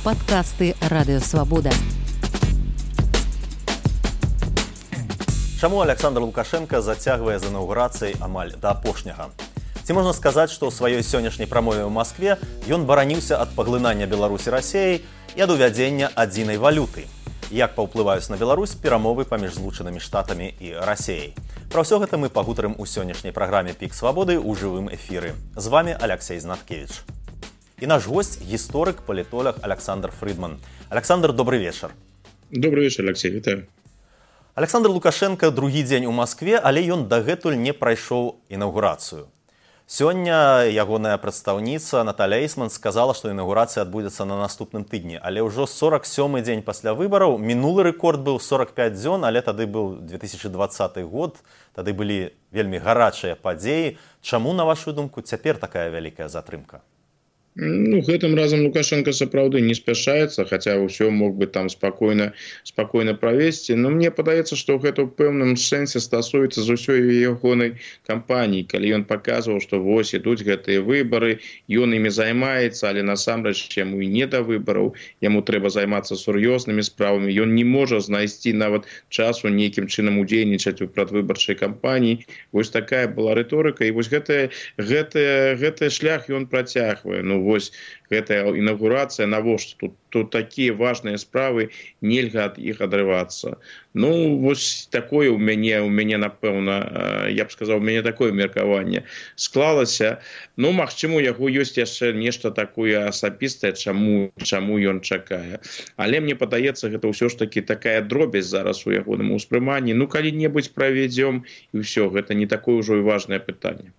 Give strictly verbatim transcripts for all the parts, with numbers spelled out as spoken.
Падкасты Радыё Свабода. Чаму Александр Лукашенко зацягвае з інаўгурацыяй амаль да апошняга? Ці можна сказаць, што ў сваёй сённяшняй прамове ў Маскве ён бараніўся ад паглынання Беларусі Расіяй і ад увядзення адзінай валюты? Як паўплываюць на Беларусь перамовы паміж Злучанымі Штатамі і Расіяй? Пра ўсё гэта мы пагутарым у сённяшняй праграме «Пік Свабоды» ў жывым эфіры. З вами Алексей Знаткевич. І наш гость – гісторык, палітолог Александр Фридман. Александр, добрый вечар. Добрый вечар, Алексей, вітаю. Александр Лукашенко другі дзень у Маскве, але ён дагэтуль не прайшоў інаўгурацыю. Сёння ягоная прадстаўніца Наталя Эйсман сказала, што інаўгурацыя адбудзецца на наступным тыдні, але ўжо сорак сёмы дзень пасля выбараў. Мінулы рэкорд быў сорак пяць дзён, але тады быў две тысячы дваццаты год, тады былі вельмі гарачыя падзеі. Чаму, на вашу думку, цяпер такая вялікая затрымка? Ну, гэтым разам Лукашенко сапраўды не спяшаецца, хаця ўсё мог бы там спакойна спакойна правесці. Но мне падаецца, што гэта ў пэўным сэнсе стасуецца з усёй ягонай кампаніі, калі ён паказваў, што вось ідуць гэтыя выбары, ён імі займаецца, але насамрэч яму і не да выбараў, яму трэба займацца сур'ёзнымі справамі. Ён не можа знайсці нават часу нейкім чынам удзельнічаць у прадвыбарчай кампаніі. Вось такая была рыторыка, і вось гэтая гэтая гэты шлях ён працягвае. Ну вось гэтая інаўгурацыя, навошта тут, тут такія важныя справы, нельга ад іх адрывацца. Ну, вось такое у мяне, у мяне, напэўна, я б сказаў, у мяне такое меркаванне склалася. Ну, магчыма, у яго ёсць яшчэ нешта такое асабістае, чаму, чаму ён чакае. Але мне падаецца, гэта ўсё ж такі такая дробязь зараз у ягоным успрыманні. Ну, калі-небудзь правядзём, і ўсё, гэта не такое ўжо і важнае пытанне.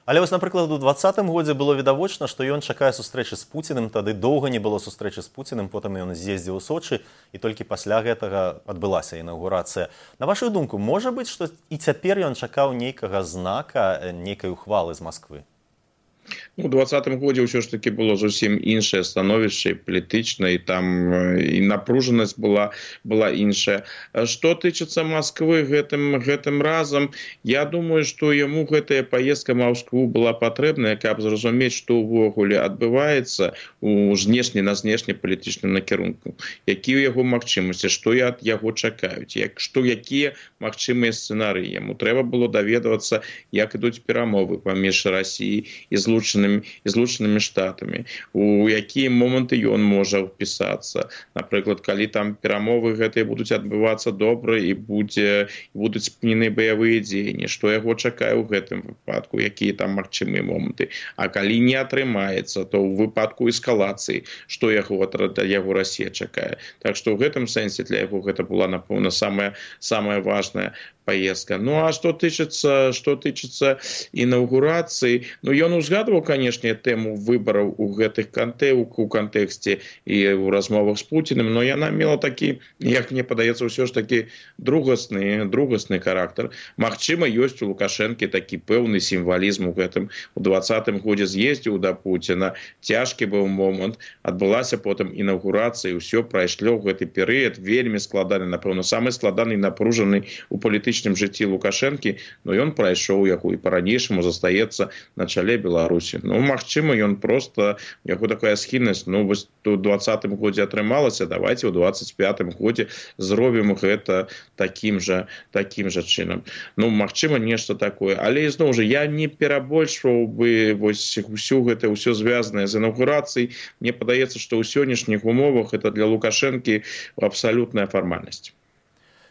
Але вось, напрыклад, у дваццатым годзе было відавочна, што ён чакае сустрэчы з Пуціним, тады доўга не было сустрэчы з Пуціним, потым ён з'ездзіў у Сочы, і толькі пасля гэтага адбылася інаўгурацыя. На вашу думку, можа быць, што і цяпер ён чакаў нейкага знака, нейкай ухвалы з Масквы? У двадцатым годзе ўсё ж таки было зусім іншае становішча, палітычнае, і там і напружанасць была, была іншая. Што тычыцца Масквы гэтым, гэтым разам, я думаю, што яму гэтая паездка в Маскву была патрэбная, каб зразумець, што ўвогуле адбываецца у знешне на знешнепалітычным накірунку, якія яго магчымасці, што ад яго чакаюць, як, што якія магчымыя сцэнарыі. Яму трэба было даведвацца, як ідуць перамовы паміж Расіяй і Злучанымі і Злучанымі Штатамі, у якія моманты ён можа впісацца. Напрыклад, калі там перамовы гэтыя будуць адбывацца добра і будзе, будуць спынены баявыя дзеянні, што яго чакае ў гэтым выпадку, якія там магчымыя моманты. А калі не атрымаецца, то ў выпадку эскалацыі, што яго ад яго Расія чакае. Так што ў гэтым сэнсе для яго гэта была, напэўна, самая, самая важная поездка. Ну, а што тычыцца, што тычыцца інаўгурацыі, ну, ён узгадваў, канешне, тэму выбараў у гэтых канте, у кантэксце і ў размовах з Пуціним, но яна мела такі, як мне падаецца, ўсё ж такі другасны, другасны характар. Магчыма, ёсць у Лукашэнкі такі пэўны сімвалізм у гэтым. У двадцатым годзе з'ездзіў да Пуціна, цяжкі быў момант, адбылася потым інаўгурацыя, ўсё прайшло ў гэты перыяд, вельмі складаны, напэўна, самы складаны і напружаны у палітычным жыцці Лукашэнкі, но ён прайшоў яго і па-ранейшаму застаецца на чале Беларусі. Ну, магчыма, ён проста, у яго такая схільнасць, ну, вось у двадцатым годзе атрымалася, давайте у двадцать пятым годзе зробім гэта такім жа, такім жа чынам. Ну, магчыма, нешта такое. Але, ізноў жа, я не перабольшваў бы вось усю гэта, ўсё звязанае з інаўгурацыяй. Мне падаецца, што ў сённяшніх умовах это для Лукашэнкі абсалютная фармальнасць.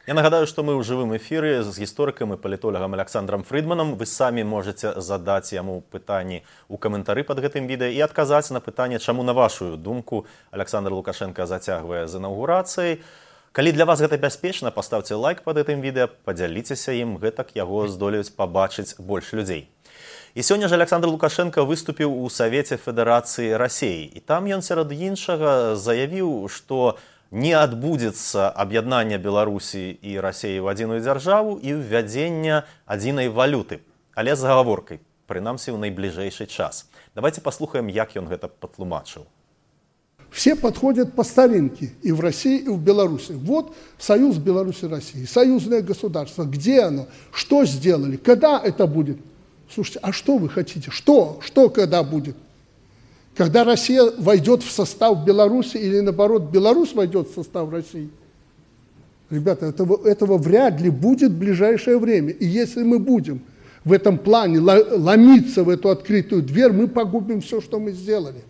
Я нагадаю, што мы ў жывым эфіры з гісторыкам і палітолагам Александром Фридманам. Вы самі можаце задаць яму пытанні ў каментары пад гэтым відэа і адказаць на пытанне, чаму, на вашу думку, Александр Лукашенко зацягвае з інаўгурацыяй. Калі для вас гэта бяспечна, паставце лайк пад гэтым відэа, падзяліцеся ім, гэтак яго здолеюць пабачыць больш людзей. І сёння ж Александр Лукашенко выступіў у Савеце Федэрацыі Расіі. І там ён сярод іншага заявіў, што не адбудзецца аб'яднання Беларусі і Расіі ў адзіную дзяржаву і ўвядзення адзінай валюты, але з агаворкай, прынамсі ў найбліжэйшы час. Давайте паслухаем, як ён гэта патлумачыў. Все подходят по старинке и в России, и в Беларуси. Вот союз Беларуси и России, союзное государство. Где оно? Что сделали? Когда это будет? Слушайте, а что вы хотите? Что? Что когда будет? Когда Россия войдет в состав Беларуси или, наоборот, Беларусь войдет в состав России, ребята, этого, этого вряд ли будет в ближайшее время. И если мы будем в этом плане ломиться в эту открытую дверь, мы погубим все, что мы сделали.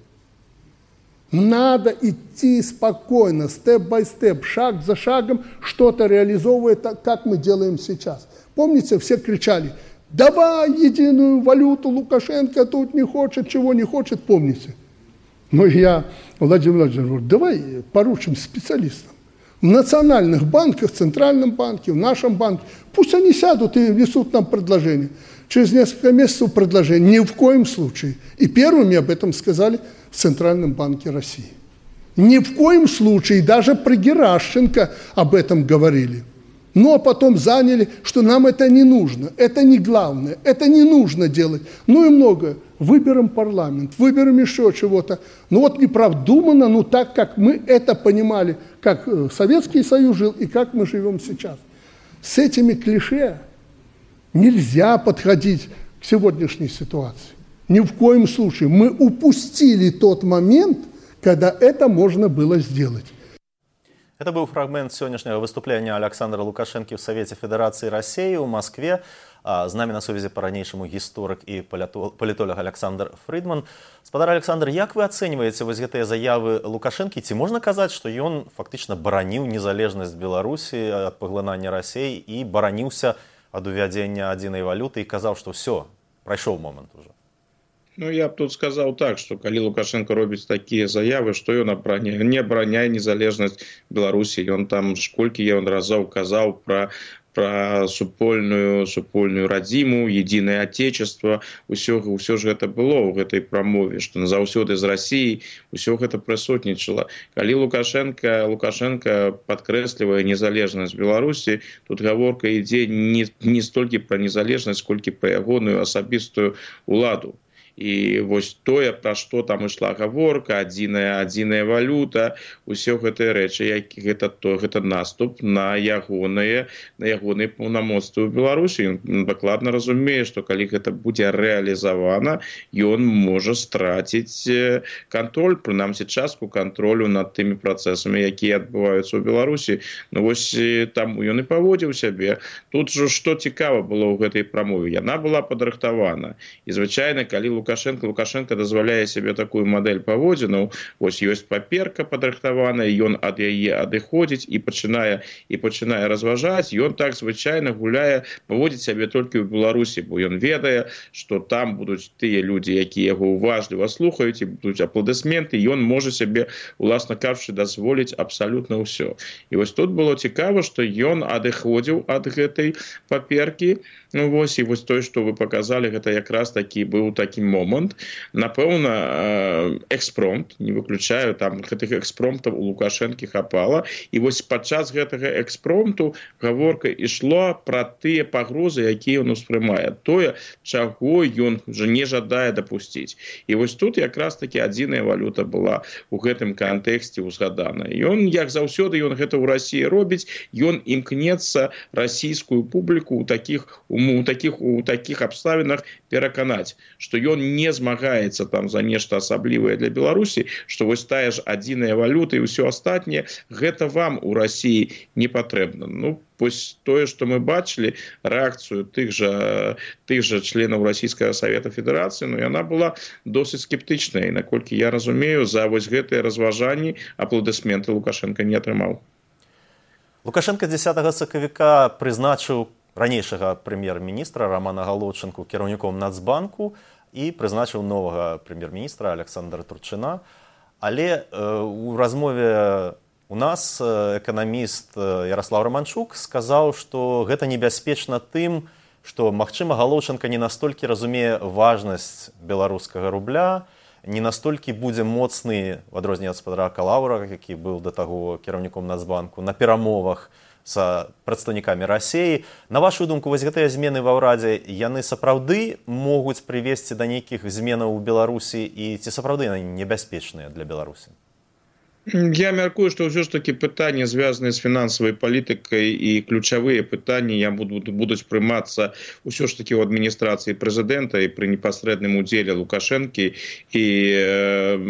Надо идти спокойно, степ-бай-степ, шаг за шагом, что-то реализовывая, так, как мы делаем сейчас. Помните, все кричали: давай единую валюту, Лукашенко тут не хочет, чего не хочет, помните. Но я, Владимир Владимирович, говорю, давай поручим специалистам. В национальных банках, в Центральном банке, в нашем банке, пусть они сядут и внесут нам предложение. Через несколько месяцев предложение. Ни в коем случае. И первыми об этом сказали в Центральном банке России. Ни в коем случае, даже при Геращенко об этом говорили. Но потом заняли, что нам это не нужно, это не главное, это не нужно делать. Ну и многое. Выберем парламент, выберем еще чего-то. Ну вот неправдуманно, ну так, как мы это понимали, как Советский Союз жил и как мы живем сейчас. С этими клише нельзя подходить к сегодняшней ситуации. Ни в коем случае. Мы упустили тот момент, когда это можно было сделать. Это был фрагмент сегодняшнего выступления Александра Лукашенко в Совете Федерации России в Москве. З нами на сувязі по-ранейшаму гісторык і палітолог Александр Фридман. Спадар Александр, як вы ацэньваеце вось гэтыя заявы Лукашэнкі? Ці можна казаць, што ён фактычна бараніў незалежнасць Беларусі ад паглынання Расіі і бараніўся ад увядзення адзінай валюты і казаў, што ўсё, прайшоў момант уже? Ну, я б тут сказаў так, што калі Лукашенко робіць такія заявы, што ён абараняе, не абараняе незалежнасць Беларусі. Ён там колькі ён разоў казаў пра про супольную супольную радзіму, единое отечество, усё, усё ж гэта было ў гэтай прамове, што назаўсёды з Расіі усё гэта прысутнічала. Калі Лукашенко Лукашенко падкрэслівае незалежнасць Беларусі, тут гаворка ідзе не, не столькі пра незалежнасць, колькі пра ягоную асабістую уладу. І вось тое, пра што там ішла гаворка, адзіная адзіная валюта, усё гэтыя рэчы, як гэта то гэта наступ на ягоныя на ягоныя паўнамоцтвы ў Беларусі. Ён дакладна разумее, што калі гэта будзе рэалізавана, ён можа страціць кантроль, прынамсі частку кантролю над тымі працэсамі, якія адбываюцца ў Беларусі. Ну вось там ён і паводзіў сябе. Тут жа што цікава было ў гэтай прамове, яна была падрыхтавана. І звычайна, калі Лукашенко Лукашенко дазваляе сябе такую мадэль паводзінаў, вось ёсць паперка падрыхтаваная, ён ад яе адыходзіць і пачынае і пачынае разважаць. Ён так звычайна гуляе, паводзіць сябе толькі ў Беларусі, бо ён ведае, што там будуць тыя людзі, якія яго уважліва слухаюць, і будуць апладысменты, ён можа сябе, уласна кажучы, дазволіць абсалютна ўсё. І вось тут было цікава, што ён адыходзіў ад гэтай паперкі. Ну вось, і вось тое, што вы паказалі, гэта якраз такі быў такі момант. Напэўна, экспромт, не выключаю, там гэтых экспромтаў у Лукашэнкі хапала. І вось падчас гэтага экспромту гаворка ішла пра тыя пагрозы, якія ён успрымае. Тое, чаго ён уже не жадае дапусціць. І вось тут якраз такі адзіная валюта была у гэтым кантэксце узгадана. Ён, як заўсёды, ён гэта ў Расіі робіць, ён імкнецца расійскую публіку ў такіх у таких у таких абставінах пераканаць, што ён не змагаецца там за нешта асаблівае для Беларусі, што вось тая ж адзіная валюта і ўсё астатняе, гэта вам у Расіі не патрэбна. Ну, вось тое, што мы бачылі, рэакцыю тых жа тых жа членаў Расійскага Савета Федэрацыі, ну яна была досыць скептычная, і наколькі я разумею, за вось гэтыя разважанні апладысменты Лукашенко не атрымаў. Лукашенко дзесятага сакавіка прызначыў ранейшага прэм'ер-міністра Романа Галодчынку кіраўніком Нацбанку і прызначыў новага прэм'ер-міністра Александра Турчына. Але э, у размове у нас эканаміст Ярослав Романчук сказаў, што гэта небяспечна тым, што, магчыма, Галодчынка не настолькі разумее важнасць беларускага рубля, не настолькі будзе моцны, в адрозненне ад спадара Калаўра, які быў да таго кіраўніком Нацбанку, на перамовах з прадстаўнікамі Расіі. На вашу думку, вось гэтыя змены ва ўрадзе, яны сапраўды могуць прывесці да нейкіх зменаў у Беларусі, і ці сапраўды яны небяспечныя для Беларусі? Я мяркую, што ўсё ж такі пытанні, звязаныя з фінансавай палітыкай і ключавыя пытанні я буду, будуць прымацца ўсё ж такі ў адміністрацыі прэзідэнта і пры непасрэдным удзеле Лукашэнкі і э,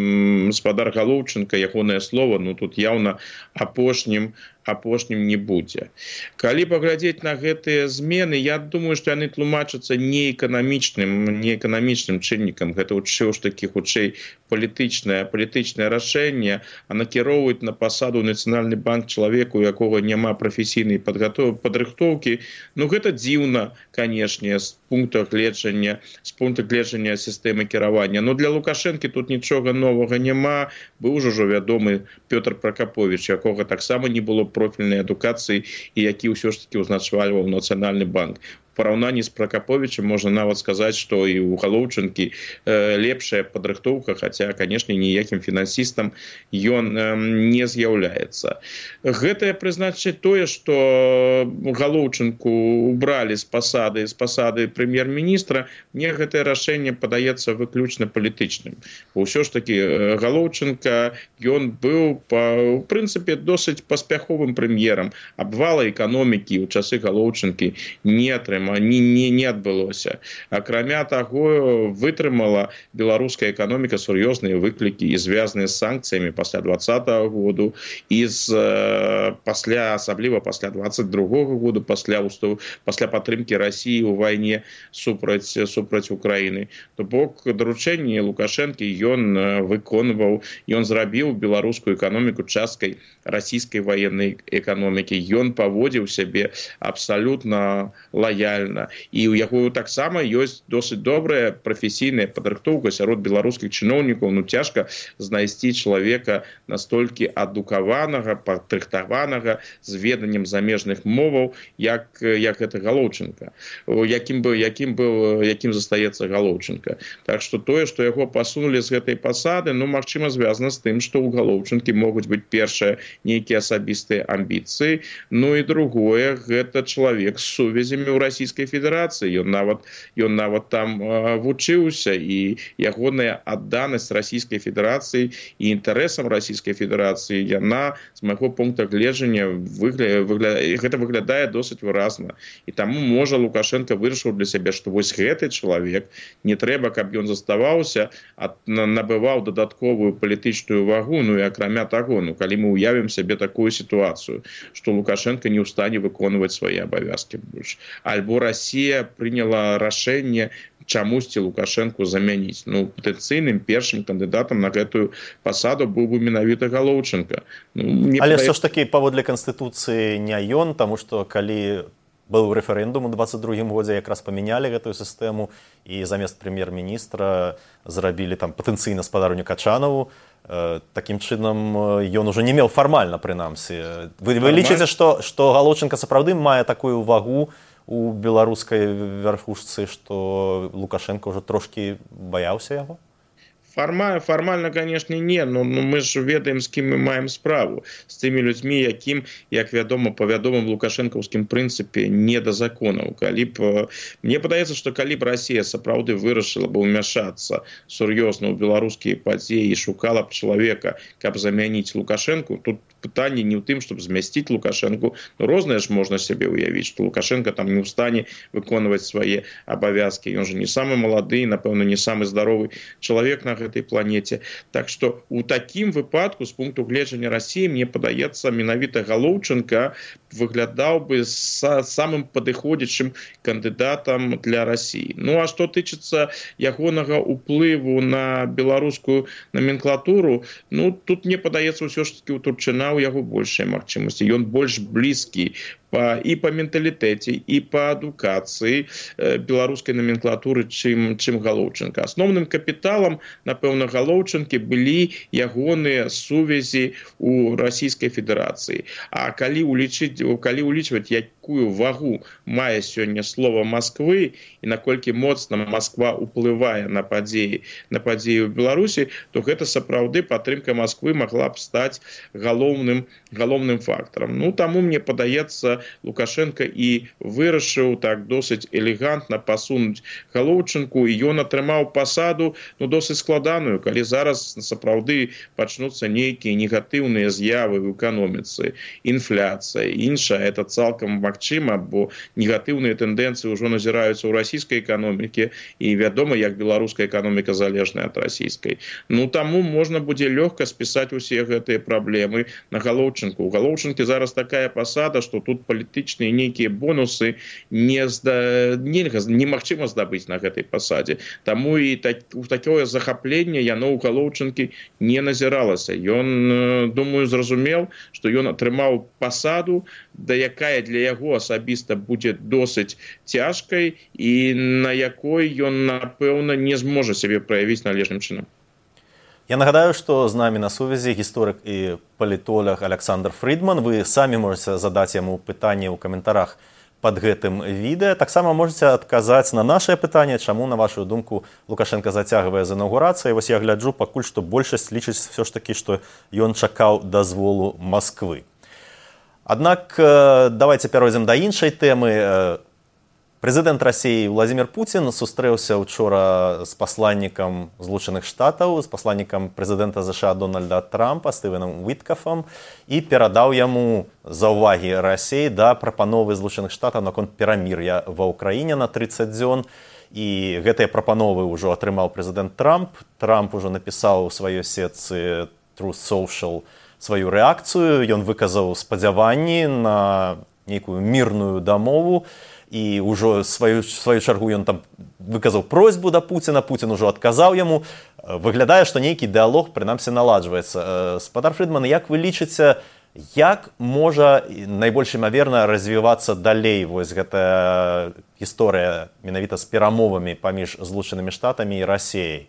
гаспадар Галоўчынка, ягонае слова, ну тут яўна апошнім апошнім не будзе. Калі паглядзець на гэтыя змены, я думаю, што яны тлумачацца не эканамічным, не эканамічным чыннікам. Гэта ўсё ж такі хутчэй палітычнае, палітычнае рашэнне, а накіроўваць на пасаду Нацыянальны банк чалавеку, у якога няма прафесійнай падрыхтоўкі. Ну гэта дзіўна, канешне, з пункта гледжання, з пункта гледжання сістэмы кіравання. Но для Лукашэнкі тут нічога новага няма. Быў ужо ўжо вядомы Пётр Пракаповіч, якога таксама не было профільнай адукацыі і які ўсё ж такі ўзначальваў Нацыянальны банк. В параўнанні з Пракаповічам можна нават сказаць, што і ў Галоўчынкі э, лепшая падрыхтоўка, хаця, канешне, ніякім фінансістам ён э, не з'яўляецца. Гэтае прызначыць тое, што Галоўчынку убралі з пасады, з пасады прэм'ер-міністра, мне гэтае рашэнне падаецца выключна палітычным. Усё ж такі Галоўчынка, ён быў, па, у прынцыпе, досыць паспяховым прэм'ерам. Абвала эканомікі ў часы Галоўчынкі не атрымаў. Не, не, не адбылося. Акрамя таго, вытрымала беларуская эканоміка сур'ёзныя выклікі і звязаныя з санкцыямі пасля двадцатага году і з, пасля, асабліва пасля двадцать другога году, пасля, пасля падтрымкі Расіі ў вайне супраць, супраць Украіны. То бок даручэнні Лукашэнкі ён выконваў, ён зрабіў беларускую эканоміку часткай расійскай ваеннай эканомікі. Ён паводзіў сябе абсалютна лаяльна. І ў яго таксама ёсць досыць добрая прафесійная падрыхтоўка сярод беларускіх чыноўнікаў. Ну цяжка знайсці чалавека настолькі адукаванага, падрыхтаванага, з веданнем замежных моваў, як, як гэта Галоўчынка. Якім, бы, якім, быў, якім застаецца Галоўчынка. Так што тое, што яго пасунулі з гэтай пасады, ну, магчыма, звязана з тым, што ў Галоўчынкі могуць быць першае нейкія асабістыя амбіцыі. Ну і другое, гэта чалавек з сувязямі ў Расійскай Федэрацыі. Ён нават, ён нават там э, вучыўся, і ягоная адданасць Расійскай Федэрацыі і інтарэсам Расійскай Федэрацыі, яна, з майго пункта гледжання, выгля... Выгля... гэта выглядае досыць выразна. І таму, можа, Лукашенко вырашыў для сябе, што вось гэты чалавек, не трэба, каб ён заставаўся, а набываў дадатковую палітычную вагу. Ну і акрамя таго, ну, калі мы уявім сябе такую сітуацыю, што Лукашенко не ў стане выконваць свае абавязкі больш. Альбо Расія прыняла рашэнне чамусьці Лукашэнку замяніць. Ну, патэнцыйным першым кандыдатам на гэтую пасаду быў бы менавіта Галоўчынка. Ну, але падае... ўсё ж такі паводле Канстытуцыі не ён, таму што калі быў рэферэндум у двадцать другім годзе, якраз памянялі гэтую сістэму і замест прэм'ер-міністра зрабілі там патэнцыйна спадарню Качанаву. Такім чынам ён ужо не меў фармальна, прынамсі. Вы, вы лічыце, што, што Галоўчынка сапраўды мае такую вагу у беларускай вярхушцы, што Лукашенко ўжо трошкі баяўся яго? Формально, формально, конечно, не, но, но мы ж ведаем, з кім мы маем справу. З тымі людзьмі, якім, як вядома, па вядомым лукашэнкаўскім прынцыпе, не да законаў. Калі б, мне падаецца, што калі б Расія сапраўды вырашыла б умяшацца сур'ёзна ў беларускія падзеі і шукала б чалавека, каб замяніць Лукашэнку, тут пытанне не ў тым, чтобы змясціць Лукашэнку. Ну, рознае ж можна сябе ўявіць, што Лукашенко там не ў стане выконваць свае абавязкі. Ён же не самы малады, напэўна, не самы здаровы чалавек на гэтай планеце. Так што у такім выпадку, з пункту гледжання Расіі, мне падаецца, менавіта Галоўчынка выглядаў бы са, самым падыходзячым кандыдатам для Расіі. Ну, а што тычыцца ягонага ўплыву на беларускую номенклатуру, ну, тут мне падаецца ўсё ж такі у Турчына у яго большая магчымасці. Ён больш блізкі па, і па менталітэце, і па адукацыі э, беларускай номенклатуры, чым, чым Галоўчынка. Асноўным капіталам, напэўна, Галоўчынкі былі ягоныя сувязі ў Расійскай Федэрацыі. А калі улічыць, калі улічваць, як якую вагу мае сёння слова Масквы і наколькі моцна Масква ўплывае на падзеі на падзеі ў Беларусі, то гэта сапраўды падтрымка Масквы магла б стаць галоўным галоўным фактарам. Ну таму мне падаецца, Лукашенко і вырашыў так досыць элегантна пасунуць Галоўчынку, і ён атрымаў пасаду ну досыць складаную, калі зараз сапраўды пачнуцца нейкія негатыўныя з'явы в эканоміцы, інфляцыя, іншая, это цалкам магчыма, бо негатыўныя тэндэнцыі ўжо назіраюцца ў расійскай эканоміке, і вядома, як беларуская эканоміка залежная ад расійскай. Ну таму можна будзе лёгка спісаць усе гэтыя праблемы на Галоўчынку. У Галоўчынкі зараз такая пасада, што тут палітычныя нейкія бонусы не зда... нельга, немагчыма здабыць на гэтай пасадзе. Таму і так, такое захапленне яно ў Галоўчынкі не назіралася. Ён, думаю, зразумеў, што ён атрымаў пасаду, да якая для яго асабіста будзе досыць цяжкай і на якой ён, напэўна, не зможа сябе праявіць належным чынам. Я нагадаю, што з намі на сувязі гісторык і палітолог Александр Фридман. Вы самі можаце задаць яму пытанне ў каментарах под гэтым відэа. Таксама можаце адказаць на нашае пытанне, чаму, на вашу думку, Лукашенко зацягвае з інаўгурацыяй. Вось я гляджу, пакуль што большасць лічыць все ж такі, што ён чакаў дазволу Масквы. Аднак давайте перайдзем да іншай тэмы. Прэзідэнт Расіі Владзімір Пуцін сустрэўся учора з пасланнікам Злучаных Штатаў, з пасланнікам прэзідэнта ЗША Дональда Трампа Стывеном Уіткафам і перадаў яму заўвагі Расіі да прапановы Злучаных Штатаў наконт перамір'я ва ўкраіне на трыццаць дзён. І гэтыя прапановы ўжо атрымаў прэзідэнт Трамп. Трамп ужо напісаў у сваёй сетцы Truth Social сваю рэакцыю. Ён выказаў спадзяванні на нейкую мірную дамову. І ўжо сваю, сваю чаргу ён там выказаў просьбу да Пуціна, Пуцін ужо адказаў яму. Выглядае, што нейкі дыалог, прынамсі, наладжваецца. Спадар Фридман, як вы лічыце, як можа найбольш імаверна развівацца далей вось гэтая гісторыя менавіта з перамовамі паміж Злучанымі Штатамі і Расіяй?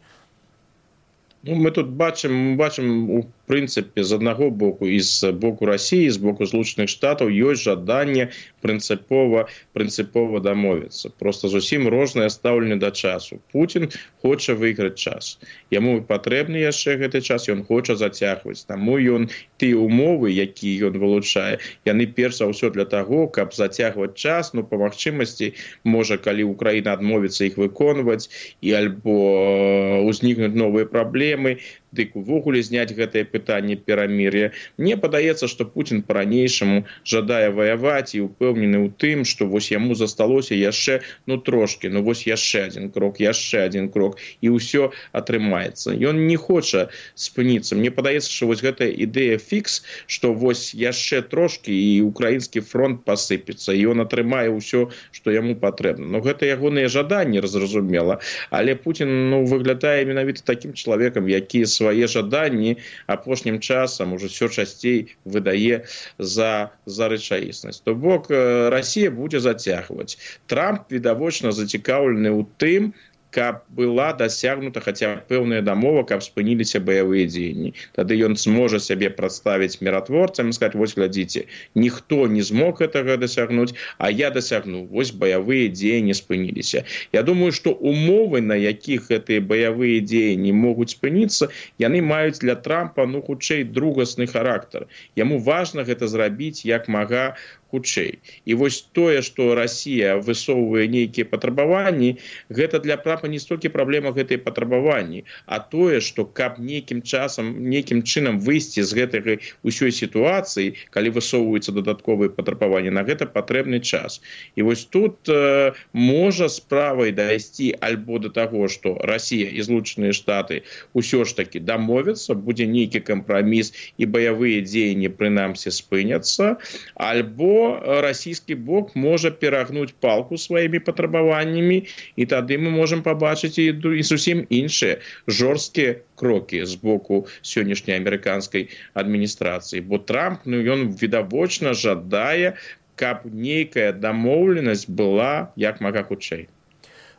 Ну, мы тут бачым, бачым у прынцыпе, з аднаго боку і з боку Расіі, з боку Злучаных Штатаў ёсць жаданне прынцыпова, прынцыпова дамовіцца. Просто зусім рознае стаўленне да часу. Пуцін хоча выйграць час. Яму патрэбны яшчэ гэты час, ён хоча зацягваць. Таму ён тыя умовы, якія ён вылучае, яны перш за ўсё для таго, каб зацягваць час, ну, па магчымасці, можа, калі Украіна адмовіцца іх выконваць, і альбо ўзнікнуць новыя праблемы, дык увогуле зняць гэтае пытанне перамір'я. Мне падаецца, што Пуцін па-ранейшаму жадае ваяваць і ўпэўнены ў тым, што вось яму засталося яшчэ, ну, трошкі, ну, вось яшчэ адзін крок, яшчэ адзін крок, і ўсё атрымаецца. Ён не хоча спыніцца. Мне падаецца, што вось гэтая ідэя фікс, што вось яшчэ трошкі і украінскі фронт пасыпецца, і ён атрымае ўсё, што яму патрэбна. Ну, гэта ягоныя жаданні, зразумела, але Пуцін, ну, выглядае менавіта такім чалавекам, які свае жаданні апошнім часам уже ўсё часцей выдае за, за рэчаіснасць. То бок, Расія будзе зацягваць. Трамп, відавочна, зацікаўлены ў тым, каб была дасягнута хаця пэўная дамова, каб спыніліся баявыя дзеянні. Тады ён зможа сябе прадставіць міратворцам і сказаць, вось глядзіце, ніхто не змог гэтага дасягнуць, а я дасягну. Вось баявыя дзеянні спыніліся. Я думаю, што умовы, на якіх гэтыя баявыя дзеянні могуць спыніцца, яны маюць для Трампа, ну, хутчэй другасны характар. Яму важна гэта зрабіць як мага хутчэй. І вось тое, што Расія высоўвае нейкія патрабаванні, гэта для Трампа не столькі праблема гэтай патрабаванні, а тое, што каб нейкім часам, нейкім чынам выйсці з гэтай усёй сітуацыі, калі высоўваюцца дадатковыя патрабаванні, на гэта патрэбны час. І вось тут э, можа справай дайсці альбо да таго, што Расія і Злучаныя Штаты ўсё ж такі дамовяцца, будзе нейкі кампраміс і баявыя дзеянні прынамсі спыняцца, альбо расійскі бок можа перагнуць палку сваімі патрабаваннямі, і тады мы можам пабачыць і, і зусім іншыя жорсткія крокі з боку сённяшняй амерыканскай адміністрацыі. Бо Трамп, ну, ён відавочна жадае, каб нейкая дамоўленасць была як мага хутчэй.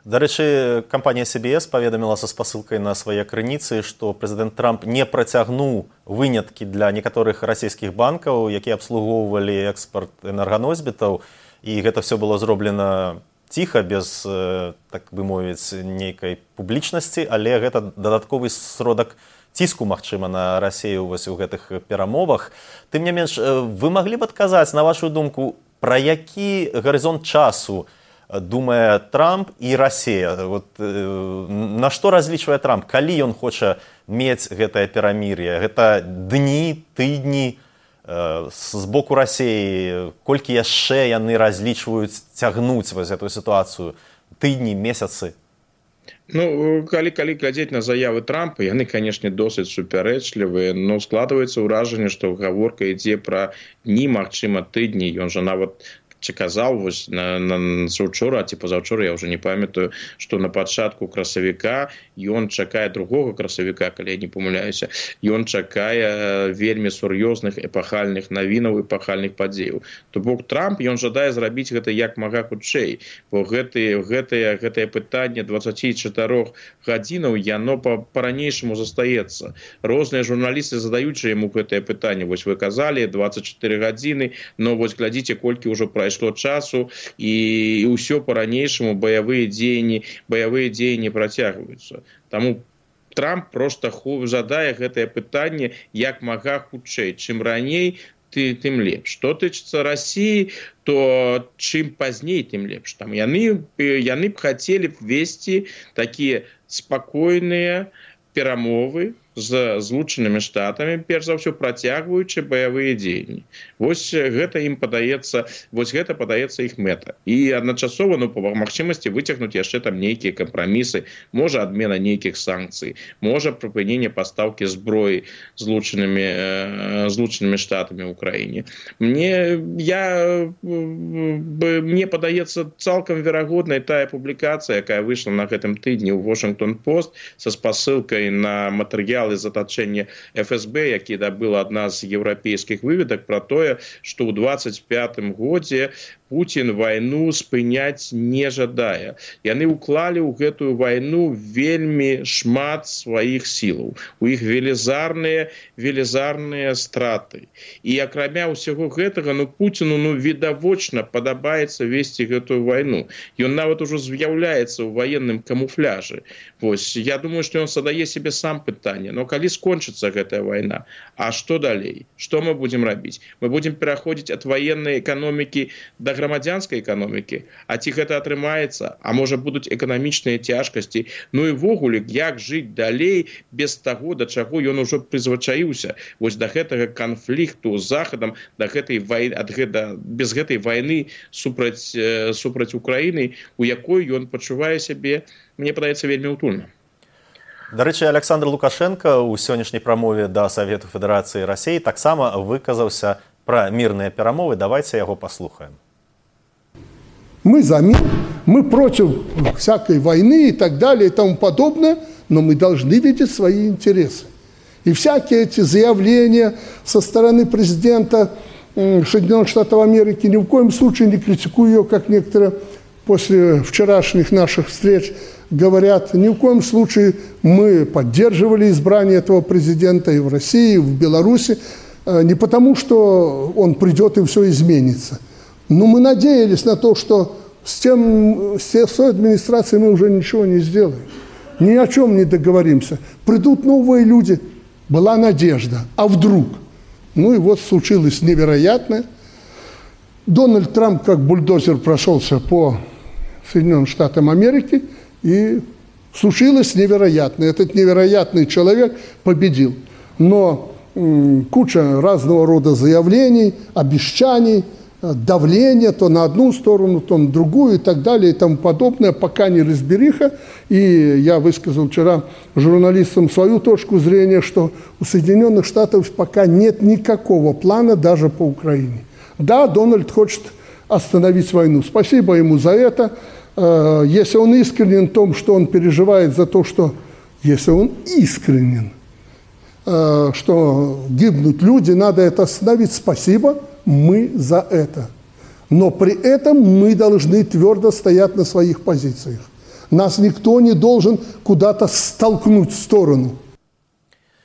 Дарэчы, кампанія Си Би Эс паведаміла са спасылкай на свае крыніцы, што прэзідэнт Трамп не працягнуў выняткі для некаторых расійскіх банкаў, якія абслугоўвалі экспарт энерганосьбітаў. і гэта все было зроблена ціха, без, так бы мовіць, нейкай публічнасці, але гэта дадатковы сродак ціску, магчыма, на Расію вось у гэтых перамовах. Тым не менш, вы маглі б адказаць, на вашу думку, пра які гарызонт часу думае Трамп і Расія? Вот, на што разлічвае Трамп? Калі ён хоча мець гэтае перамір'е? Гэта дні, тыдні з боку Расіі? Колькі яшчэ яны разлічваюць цягнуць вось гэтую сітуацыю? Тыдні, месяцы? Ну, калі, калі глядзець на заявы Трампа, яны, канешне, досыць супярэчлівыя, но складваецца ўражанне, што гаворка ідзе пра дні, магчыма, тыдні. Ён жа нават казаў вось на, на заўчора ці пазаўчора, я ўжо не памятаю, што на пачатку красавіка ён чакае другога красавіка, калі я не памыляюся, ён чакае вельмі сур'ёзных эпахальных навінаў, эпахальных падзеяў. То бок Трамп, ён жадае зрабіць гэта як мага хутчэй, бо гэтае, гэтае, гэтае пытанне дваццаць чатырох гадзінаў, яно па-ранейшаму застаецца. Розныя журналісты задаюць яму гэтае пытанне. Вось вы казалі, дваццаць чатыры гадзіны, но вось глядзіце, колькі ўжо прайшло часу, і ўсё па-ранейшаму баявыя дзеянні, баявыя дзеянні працягваюцца. Таму Трамп проста жадае гэтае пытанне як мага хутчэй. Чым раней, тым лепш. Што тычыцца Расіі, то чым пазней, тым лепш. Там яны, яны б хацелі б весці такія спакойныя перамовы з Злучанымі Штатамі, перш за ўсё працягваючы баявыя дзеянні. Вось гэта ім падаецца, вось гэта падаецца іх мэта. І адначасова, ну, па магчымасці выцягнуць яшчэ там нейкія кампрамісы, можа адмена нейкіх санкцый, можа прыпыненне пастаўкі зброі Злучанымі, Злучанымі Штатамі ў краіне. Мне, я, мне падаецца цалкам верагоднай тая публікацыя, якая выйшла на гэтым тыдні ў Washington-Post са спасылкай на матэрыял з атачэння эф эс бэ, які дабыла адна з еўрапейскіх выведак пра тое, што ў дваццаць пятым годзе Путін вайну спыняць не жадае. Яны ўклалі ў гэтую вайну вельмі шмат сваіх сілаў. У іх велізарныя, велізарныя страты. І акрамя ўсяго гэтага, ну, Пуціну, ну, відавочна падабаецца весці гэтую вайну. Ён нават ужо з'яўляецца ў ваенным камуфляжы. Вось, я думаю, што ён задае себе сам пытанне. Но калі скончыцца гэтая вайна, а што далей? Што мы будзем рабіць? Мы будзем пераходзіць ад ваеннай эканомікі да грамадзянскай эканомікі, а ці гэта атрымаецца, а можа будуць эканамічныя цяжкасці, ну і ввогуле, як жыць далей без таго, да чаго ён ужо прызвычаіўся, вось да гэтага канфлікту з Захадам, да гэтай вайны, ад гэта, без гэтай вайны супраць, супраць Украіны, у якой ён пачувае сябе, мне падаецца, вельмі утульна. Дарэчы, Александр Лукашенко ў сённяшняй прамове да Савету Федэрацыі Расіі таксама выказаўся пра мірныя перамовы. Давайте яго паслухаем. Мы за мир, мы против всякой войны и так далее и тому подобное, но мы должны видеть свои интересы. И всякие эти заявления со стороны президента Соединенных Штатов Америки, ни в коем случае не критикую ее, как некоторые после вчерашних наших встреч говорят, ни в коем случае мы поддерживали избрание этого президента и в России, и в Беларуси, не потому, что он придет и все изменится. Но мы надеялись на то, что с, тем, с той администрацией мы уже ничего не сделаем. Ни о чем не договоримся. Придут новые люди. Была надежда. А вдруг? Ну и вот случилось невероятное. Дональд Трамп как бульдозер прошелся по Соединенным Штатам Америки, и случилось невероятное. Этот невероятный человек победил. Но м, куча разного рода заявлений, обещаний, давление то на одну сторону, то на другую и так далее и тому подобное, пока не разбериха. И я высказал вчера журналистам свою точку зрения, что у Соединенных Штатов пока нет никакого плана даже по Украине. Да, Дональд хочет остановить войну. Спасибо ему за это. Если он искренен в том, что он переживает за то, что... Если он искренен, что гибнут люди, надо это остановить. Спасибо. Мы за это. Но при этом мы должны твердо стоять на своих позициях. Нас никто не должен куда-то столкнуть в сторону.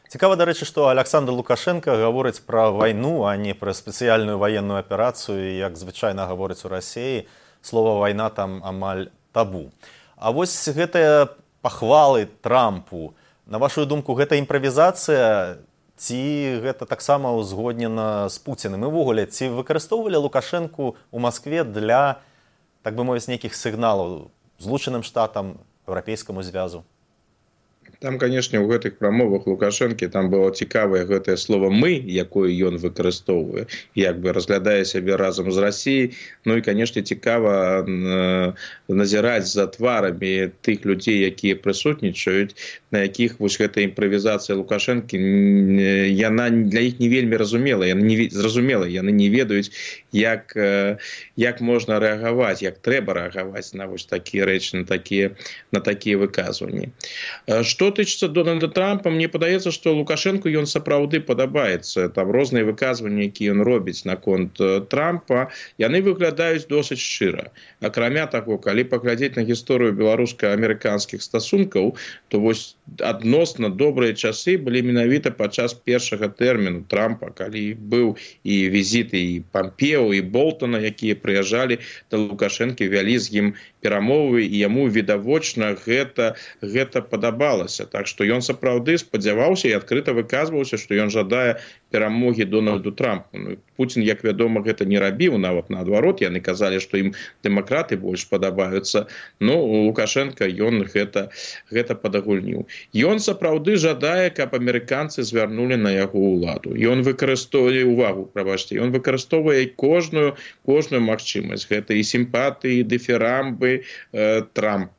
Цікава, дарэчы, што Александр Лукашенко гаворыць пра вайну, а не пра спецыяльную ваенную аперацыю, як звычайна гаворыць у Расіі. Слова вайна там амаль табу. А вось гэтыя пахвалы Трампу, на вашу думку, гэта імправізацыя ці гэта таксама ўзгоднена з Пуціним? І ввогуле, ці выкарыстоўвалі Лукашэнку ў Маскве для, так бы мовіць, нейкіх сігналаў Злучаным Штатам, Еўрапейскаму звязу? Там, канешне, у гэтых прамовах Лукашэнкі там было цікавае гэтае слово «мы», якое ён выкарыстоўвае, як бы разглядае сябе разам з Расіяй. Ну і, канешне, цікава назіраць за тварамі тых людзей, якія прысутнічаюць, на якіх вось гэтая імправізацыя Лукашэнкі, яна для іх не вельмі разумела, яна не зразумела, яны не ведаюць, як, як можна рэагаваць, як трэба рэагаваць на вось такія рэчы, на такія, на такія выказванні. Што тычыцца Дональда Трампа, мне падаецца, што Лукашэнку ён сапраўды падабаецца. Там розныя выказванні, якія ён робіць наконт Трампа, яны выглядаюць досыць шчыра. Акрамя таго, калі паглядзець на гісторыю беларуска-амерыканскіх стасункаў, то вось адносна добрыя часы былі менавіта падчас першага тэрміну Трампа, калі быў і візіт і Пампео, і Болтона, якія прыязджалі да Лукашэнкі, вялі з ім перамовы, і яму відавочна гэта, гэта падабалася. Так што ён сапраўды спадзяваўся і адкрыта выказваўся, што ён жадае перамогі Дональду Трампу. Ну, Пуцін, як вядома, гэта не рабіў, нават наадварот, яны казалі, што ім дэмакраты больш падабаюцца. Ну, Лукашенко, ён гэта, гэта падагульніў. Ён сапраўды жадае, каб амерыканцы звярнулі на яго ўладу. Ён выкарыстоўвае увагу, прабачце, ён выкарыстоўвае кожную, кожную магчымасць. Гэта і сімпатыі, і дыферамбы э, Трампу.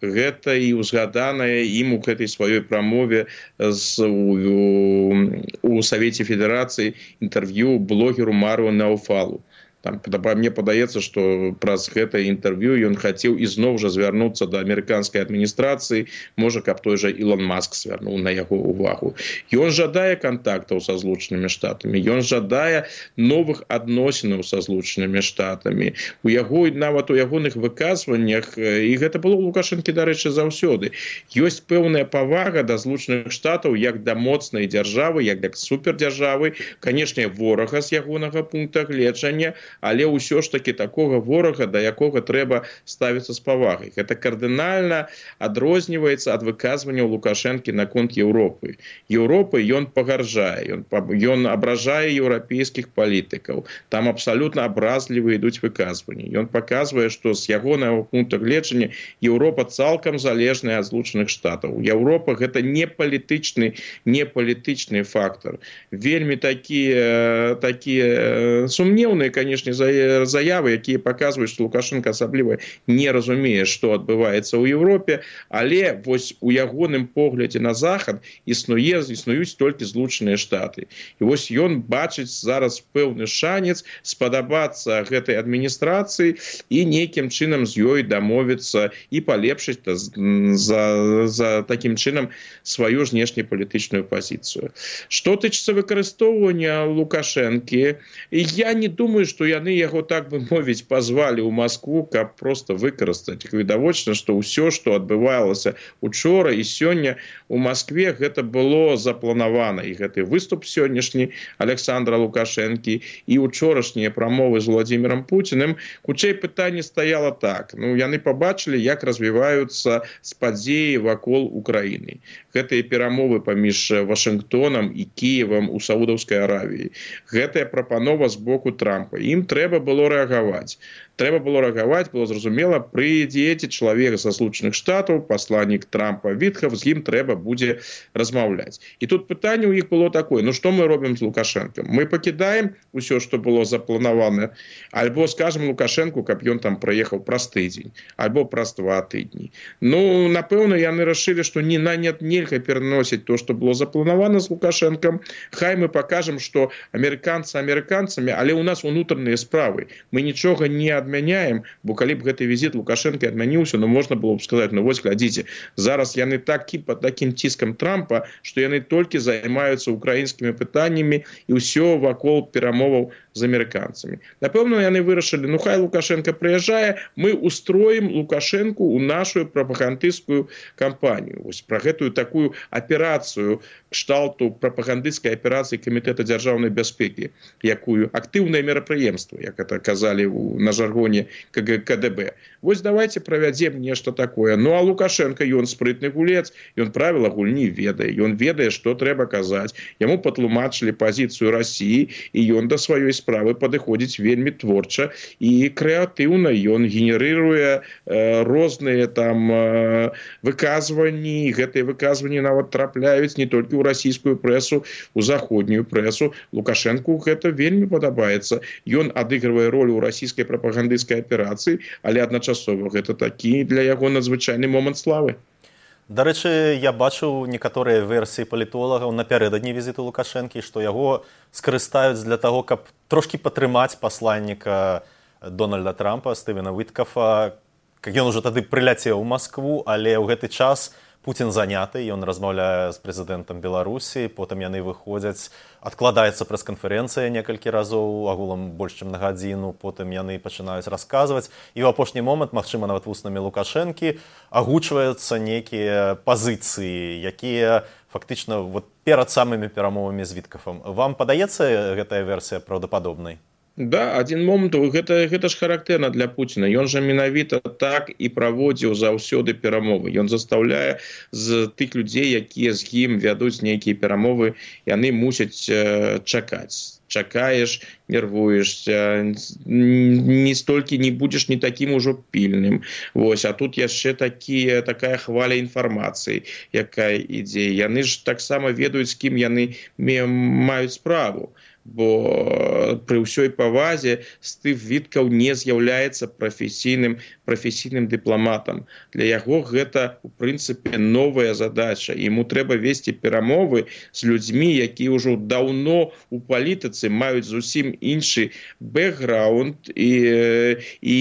Гэта і ўзгаданае ім у гэтай сваёй прамове з, у, у Савеце Федэрацыі інтэрв'ю блогеру Мару Науфалу. Там, мне падаецца, што праз гэтае інтэрв'ю ён хацеў ізноў жа звярнуцца да амерыканскай адміністрацыі, можа, каб той жа Ілон Маск звярнуў на яго ўвагу. Ён жадае кантактаў са Злучанымі Штатамі, ён жадае новых адносінаў са Злучанымі Штатамі. У яго, нават у ягоных выказваннях, і гэта было ў Лукашэнкі, дарэчы, заўсёды, ёсць пэўная павага да Злучаных Штатаў як да моцнай дзяржавы, як да супердзяржавы, канешне, ворага з ягонага пункта гледжання, але ўсё ж таки такога ворага, да якога трэба ставіцца з павагай. Гэта кардынальна адрозніваецца ад выказванняў Лукашэнкі наконт Еўропы. Еўропы ён пагарджае, ён, ён абражае еўрапейскіх палітыкаў. Там абсалютна абразлівыя ідуць выказванні. Ён паказвае, што з ягонага пункта гледжання Еўропа цалкам залежная ад Злучаных Штатаў. Еўропа гэта не палітычны, не палітычны фактор. Вельмі такія, такія сумнеўныя, конечно, заявы, якія паказваюць, што Лукашенко асабліва не разумее, што адбываецца ў Еўропе, але вось у ягоным поглядзе на захад існуе, існуюць толькі Злучаныя Штаты. І вось ён бачыць зараз пэўны шанец спадабацца гэтай адміністрацыі і нейкім чынам з ёй дамовіцца і палепшыць за, за такім чынам сваю знешнепалітычную пазіцыю. Што тычыцца выкарыстоўвання Лукашэнкі, я не думаю, што яны яго, так бы мовіць, пазвалі ў Маскву, каб проста выкарыстаць. Відавочна, што ўсё, што адбывалася учора і сёння у Маскве, гэта было запланавана. І гэты выступ сённяшні Александра Лукашэнкі і учорашнія прамовы з Владзімірам Пуціним, хутчэй пытанне стаяла так. Ну, яны пабачылі, як развіваюцца падзеі вакол Украіны. Гэтыя перамовы паміж Вашынгтонам і Кіевам у Саудаўскай Аравіі. Гэтая прапанова з боку Трампа. Ім трэба было рэагаваць. Трэба было рэагаваць, было зразумела, прыйдзе чалавек са Злучаных Штатаў, пасланнік Трампа Вітхав, з ім трэба будзе размаўляць. І тут пытанне ў іх было такое: ну што мы робім з Лукашэнкам? Мы пакідаем усё, што было запланавана, альбо скажам Лукашэнку, каб ён там прыехаў праз тыдзень, альбо праз два тыдні. Ну, напэўна, яны рашылі, што не на нет нельга пераносіць то, што было запланавана з Лукашэнкам. Хай мы пакажам, што амерыканцы амерыканцамі, але ў нас унутраны розныя справы. Мы нічога не адмяняем, бо калі б гэты візіт Лукашенко адмяніўся, ну можна было б сказаць, ну вось глядзіце, зараз яны такі пад такім ціскам Трампа, што яны толькі займаюцца украінскімі пытаннямі і ўсё вакол перамоваў з амерыканцамі. Напэўна, яны вырашылі, ну хай Лукашенко прыязджае, мы устроім Лукашенку ў нашу прапагандысцкую кампанію. Вось пра гэтую такую аперацыю кшталту прапагандысцкай аперацыі Камітэта дзяржаўнай бяспекі, якую актыўнае мерапрыемства, як это казалі на жаргоне ка дэ бэ. Вось давайте правядзем нешта такое. Ну а Лукашенко, ён спрытны гулец, ён правіла гульні ведае, ён ведае, што трэба казаць. Яму патлумачылі пазіцыю Расіі, і ён да сваёй справы падыходзіць вельмі творча і крэатыўна. Ён генерыруе э, розныя там э, выказванні, гэтыя выказванні нават трапляюць не толькі ў расійскую прэсу, у заходнюю прэсу. Лукашенку гэта вельмі падабаецца. Ён адыгрывае роль у расійскай прапагандысцкай аперацыі, але адначасова гэта такі для яго надзвычайны момант славы. Дарэчы, я бачыў некаторыя версіі палітолагаў напярэдадні візіту Лукашэнкі, што яго скарыстаюць для таго, каб трошкі падтрымаць пасланніка Дональда Трампа, Стывена Віткафа. Ён ужо тады прыляцеў у Маскву, але ў гэты час Пуцін заняты, ён размаўляе з прэзідэнтам Беларусі, потым яны выходзяць, адкладаецца прэс-канферэнцыя некалькі разоў, агулам больш чым на гадзіну, потым яны пачынаюць расказваць, і ў апошні момант, магчыма, нават вуснамі Лукашэнкі, агучваюцца нейкія пазіцыі, якія фактычна вот, перад самымі перамовамі з Віткафам. Вам падаецца гэтая версія праўдападобнай? Да, адзін момант, гэта, гэта ж характэрна для Пуціна. Ён жа менавіта так і праводзіў заўсёды перамовы. Ён застаўляе з тых людзей, якія з ім вядуць нейкія перамовы, яны мусяць э, чакаць. Чакаеш, нервуешься, не столькі не будзеш не такім ужо пільным. Вось, а тут яшчэ такі, такая хваля інфармацыі, якая ідзе. Яны ж таксама ведаюць, з кім яны маюць справу. Бо пры ўсёй павазе Стыв Віткаў не з'яўляецца прафесійным прафесійным дыпламатам. Для яго гэта, у прынцыпе, новая задача. Яму трэба весці перамовы з людзьмі, якія ўжо даўно у палітыцы маюць зусім іншы бэкграунд і, і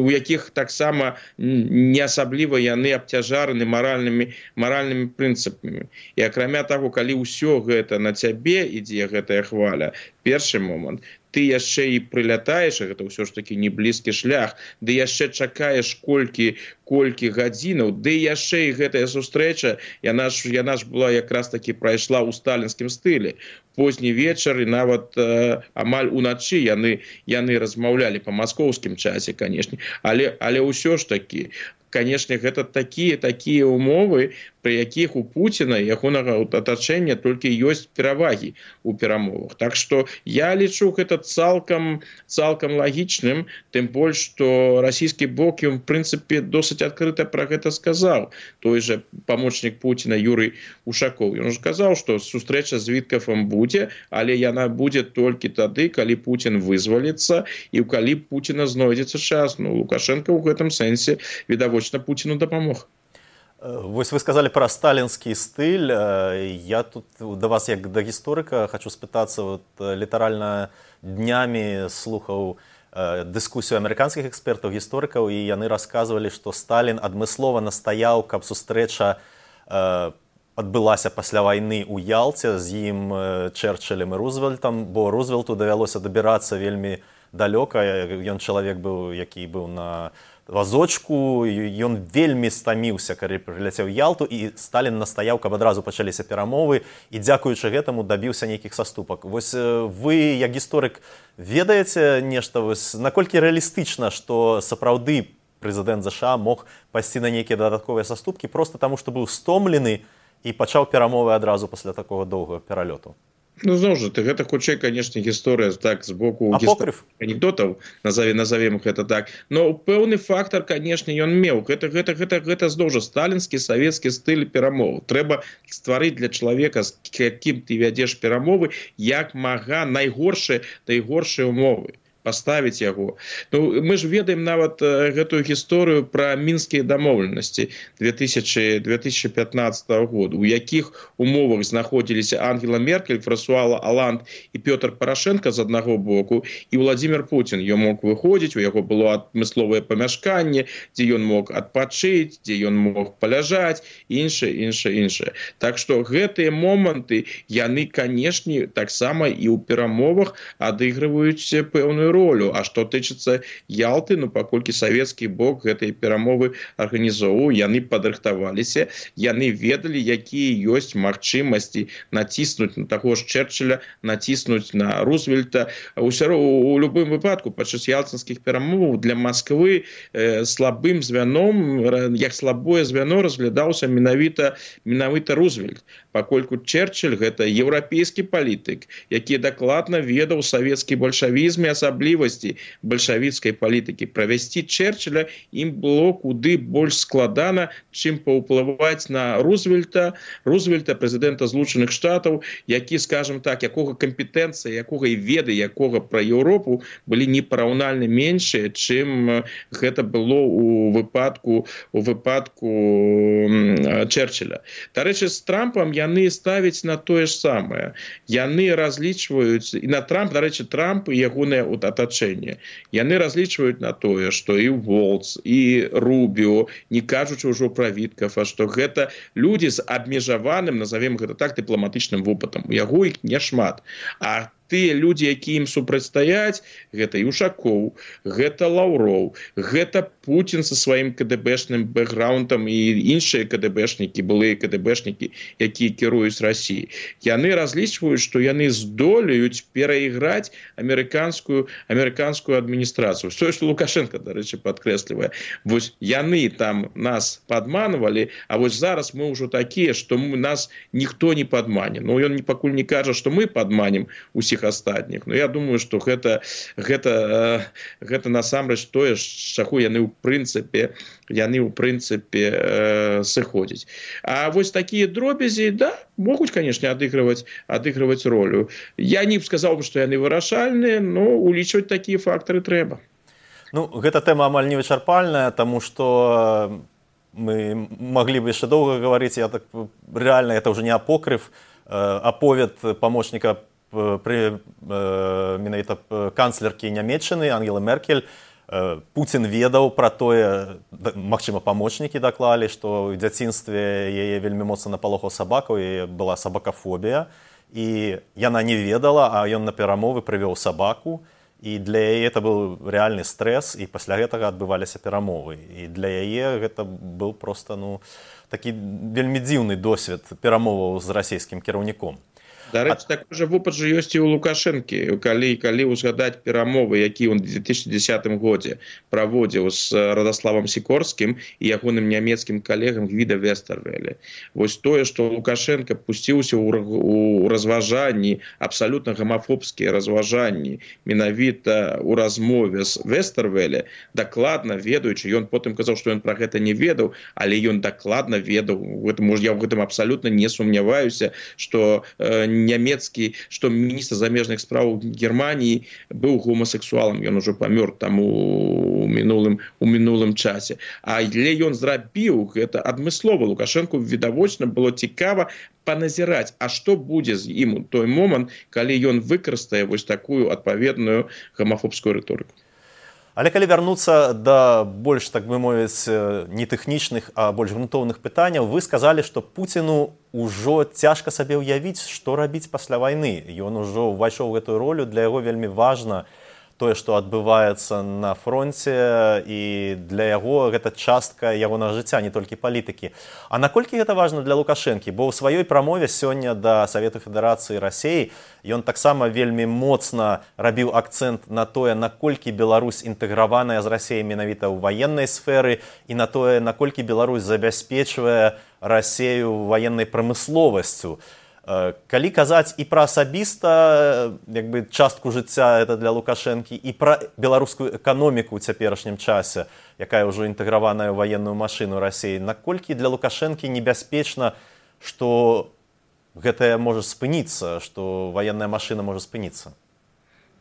у якіх таксама не асабліва яны абцяжараны маральнымі, маральнымі прынцыпамі. І акрамя таго, калі ўсё гэта на цябе ідзе, гэтая хваля, першы момант, ты яшчэ і прылятаеш, гэта ўсё ж такі не блізкі шлях, ды яшчэ чакаеш колькі, колькі гадзінаў, ды яшчэ і гэтая сустрэча, яна ж, яна ж была якраз такі прайшла ў сталінскім стылі. Позні вечар і нават э, амаль уначы яны, яны размаўлялі па маскоўскім часе, канешне, але, але ўсё ж такі, конечно, гэта такія такія умовы, пры якіх у Пуціна і ягонага атачэння толькі ёсць перавагі ў перамовах. Так што я лічу гэта цалкам, цалкам лагічным, тым больш, што расійскі бок, ён, в прынцыпе, досыць адкрыта пра гэта сказаў. Той жа памочнік Пуціна Юрый Ушакоў. Ён ж казаў, што сустрэча з Віткафам будзе, але яна будзе толькі тады, калі Пуцін вызваліцца і калі Пуціна знойдзецца час. Ну, Лукашенко ў гэтым сэнсе відавочна Пуціну дапамог. Вось вы сказали про сталінскі стыль. Я тут да вас, як да гісторыка, хочу спытацца, вот, літаральна днямі слухаў дыскусію амерыканскіх экспертаў, гісторыкаў, і яны расказвалі, што Сталін адмыслова настаяў, каб сустрэча адбылася пасля вайны ў Ялце з ім, Чэрчылем і Рузвельтам, бо Рузвельту давялося дабірацца вельмі далёка. Ён чалавек быў, які быў на вазочку, ён вельмі стаміўся, калі прыляцеў Ялту, і Сталін настаяў, каб адразу пачаліся перамовы, і дзякуючы гэтаму дабіўся нейкіх саступак. Вось вы, як гісторык, ведаеце нешта, вось, наколькі рэалістычна, што сапраўды прэзідэнт ЗША мог пайсці на нейкія дадатковыя саступкі проста таму, што быў стомлены і пачаў перамовы адразу пасля такога доўгага пералёту? Ну, зноў жа, гэта хутчэй, канешне, гісторыя так з боку анекдотаў, назовем, назовем гэта так. Но пэўны фактар, канешне, ён меў. Гэта, гэта, гэта, гэта зноў жа сталінскі, савецкі стыль перамоў. Трэба стварыць для чалавека, з якім ты вядзеш перамовы, як мага найгоршыя, найгоршыя умовы. паставіць яго. Ну, мы ж ведаем нават гэтую гісторыю пра мінскія дамоўленасці две тысячи пятнадцатого года, у якіх умовах знаходзіліся Ангела Меркель, Франсуа Оланд і Пётр Парашенко з аднаго боку, і Владимир Путин. Ён мог выходзіць, у яго было адмысловае памяшканне, дзе ён мог адпачыць, дзе ён мог паляжаць, іншае, іншае, іншае. Так што гэтыя моманты, яны, канешне, таксама і ў перамовах адыгрываюць пэўную ролю. А што тычыцца Ялты, ну, паколькі савецкі бок гэтай перамовы арганізоўваў, яны падрыхтаваліся, яны ведалі, якія ёсць магчымасці націснуць на таго ж Черчилля, націснуць на Рузвельта. Усё у любым выпадку падчас ялцынскіх перамоваў для Масквы э, слабым звяном, як слабое звяно разглядаўся менавіта менавіта Рузвельт, пакольку Черчилль гэта еўрапейскі палітык, які дакладна ведаў савецкі бальшавізм і асаблівасці бальшавіцкай палітыкі. Правесці Черчилля ім было куды больш складана, чым паўплываць на Рузвельта, Рузвельта, прэзідэнта Злучаных Штатаў, які, скажем так, якога кампетэнцыя, якога і веды, якога пра Еўропу былі непараўнальна меншыя, чым гэта было у выпадку у выпадку Черчилля. Дарэчы, з Трампам яны ставяць на тое ж самае. Яны разлічваюць, і на Трамп, дарэчы, Трамп і ягонае атачэнне, яны разлічваюць на тое, што і Волц, і Рубіо, не кажучы ўжо пра Віткафа, што гэта людзі з абмежаваным, назовем гэта так, дыпламатычным вопытам. У яго іх няшмат. А тыя людзі, які ім супрацьстаяць, гэта Юшакоў, гэта Лаўроў, гэта Путін са сваім КДБшным бэкграундам і іншыя КДБшнікі, былыя КДБшнікі, якія кіруюць Расіяй. Яны разлічваюць, што яны здолеюць перайграць амерыканскую амерыканскую адміністрацыю. Тое, што Лукашенко, дарэчы, падкрэслівае. Вось яны там нас падманвалі, а вось зараз мы ўжо такія, што нас ніхто не падмане. Ну, ён пакуль не кажа, што мы падманем усіх астатніх. Но я думаю, што гэта, гэта, гэта насамрэч тое, з чаго яны ў прынцыпе, яны ў прынцыпе э, сыходзяць. А вось такія дробязі, да, могуць, канешне, адыгрываць, адыгрываць ролю. Я не сказаў бы, што яны вырашальныя, но улічваць такія фактары трэба. Ну, гэта тэма амаль невычарпальная, таму што мы маглі бы яшчэ доўга гаварыць, я так рэальна, это ўжо не апокрыф, аповед памочніка при э, менавіта канцлеркі Нямецчыны Ангелы Меркель. э, Путін ведаў пра тое, магчыма, памочнікі даклалі, што ў дзяцінстве яе вельмі моцна напалохаў сабака, у яе была сабакафобія, і яна не ведала, а ён на перамовы прывёў сабаку, і для яе это быў рэальны стрэс, і пасля гэтага адбываліся перамовы. І для яе гэта быў проста, ну, такі вельмі дзіўны досвед перамоваў з расійскім кіраўніком. Дарэчы, такой жа вопыт жа ёсць і ў Лукашэнкі, калі, калі ўзгадаць перамовы, які ў две тысячи десятым годзе праводзіў з Радаславам Сікорскім і ягоным нямецкім калегам Гвіда Вестэрвеле. Вось тое, што Лукашенко пусціўся ў разважанні, абсалютна гамафобскія разважанні, менавіта ў размове з Вестэрвеле, дакладна ведаючы, ён потым казаў, што ён пра гэта не ведаў, але ён дакладна ведаў, я ў гэтым абсалютна не сумняваюся, што нямецкі, што міністр замежных спраў Германії быў гомасексуалам, ён ужо памёр там у мінулым, у мінулым часе. Але ён зрабіў гэта адмыслова. Лукашэнку відавочна было цікава паназіраць, а што будзе з ім у той момант, калі ён выкарыстае вось такую адпаведную гомафобскую рыторыку. Але калі вярнуцца да больш, так бы мовіць, не тэхнічных, а больш грунтоўных пытанняў, вы сказалі, што Пуціну ўжо цяжка сабе ўявіць, што рабіць пасля вайны. Ён ужо ўвайшоў у гэтую ролю, для яго вельмі важна тое, што адбываецца на фронце, і для яго гэта частка ягонага жыцця, не толькі палітыкі. А наколькі гэта важна для Лукашэнкі? Бо ў сваёй прамове сёння да Савету Федэрацыі Расіі ён таксама вельмі моцна рабіў акцэнт на тое, наколькі Беларусь інтэграваная з Расіяй менавіта ў ваеннай сферы, і на тое, наколькі Беларусь забяспечвае Расію ваеннай прамысловасцю. Калі казаць і пра асабіста, як бы, частку жыцця это для Лукашэнкі, і пра беларускую эканоміку ў цяперашнім часе, якая ўжо інтэграваная ў ваенную машыну Расіі, наколькі для Лукашэнкі небяспечна, што гэтае можа спыніцца, што ваенная машына можа спыніцца?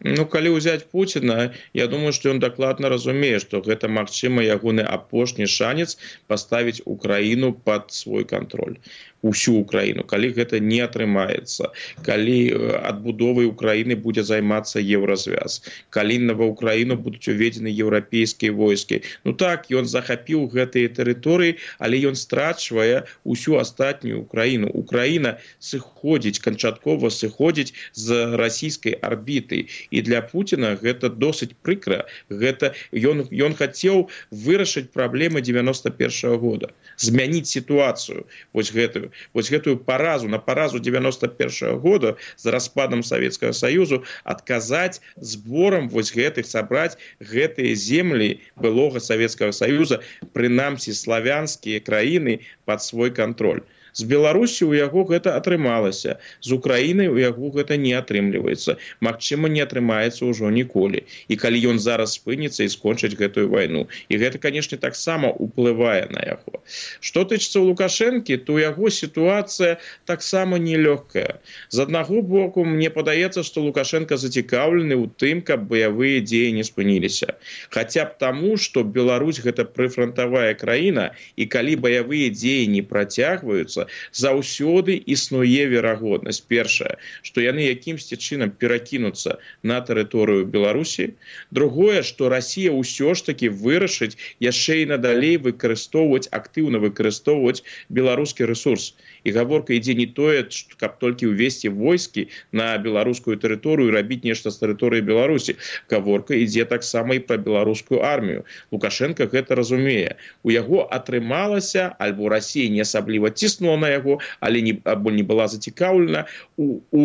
Ну, калі ўзяць Пуціна, я думаю, што ён дакладна разумее, што гэта, магчыма, ягоны апошні шанец паставіць Украіну пад свой кантроль. Усю Украіну, калі гэта не атрымаецца, калі адбудовай Украіны будзе займацца Еўразвяз, калі ва Украіну будуць уведзены еўрапейскія войскі. Ну так, ён захапіў гэтыя тэрыторыі, але ён страчвае усю астатнюю Украіну. Украіна сыходзіць, канчаткова сыходзіць з расійскай арбіты. І для Пуціна гэта досыць прыкра. Гэта ён, ён хацеў вырашыць праблемы дзевяноста першага года, змяніць сітуацыю, вось гэтую. Вось гэтую паразу, на паразу дзевяноста першага года з распадам Савецкага Саюзу адказаць зборам вось гэтых, сабраць гэтыя землі былога Савецкага Саюза, прынамсі славянскія краіны пад свой кантроль. З Беларусі ў яго гэта атрымалася, з Украінай у яго гэта не атрымліваецца. Магчыма, не атрымаецца ўжо ніколі. І калі ён зараз спыніцца і скончыць гэтую вайну. І гэта, канешне, таксама ўплывае на яго. Што тычыцца ў Лукашэнкі, то яго сітуацыя таксама нелёгкая. З аднаго боку, мне падаецца, што Лукашенко зацікаўлены ў тым, каб баявыя дзеі не спыніліся. Хаця б таму, што Беларусь гэта прыфрантавая краіна, і калі баявыя дзеі не працягваюцца, заўсёды існуе верагоднасць. Першае, што яны якімсьці чынам перакінуцца на тэрыторыю Беларусі. Другое, што Расія ўсё ж такі вырашыць яшчэ і надалей выкарыстоўваць, актыўна выкарыстоўваць беларускі рэсурс. І гаворка ідзе не тое, каб толькі ўвесці войскі на беларускую тэрыторыю і рабіць нешта з тэрыторыі Беларусі. Гаворка ідзе таксама і пра беларускую армію. Лукашенко гэта разумее. У яго атрымалася, альбо Расія не асабліва ціснула на яго, але не, або не была зацікаўлена у, у,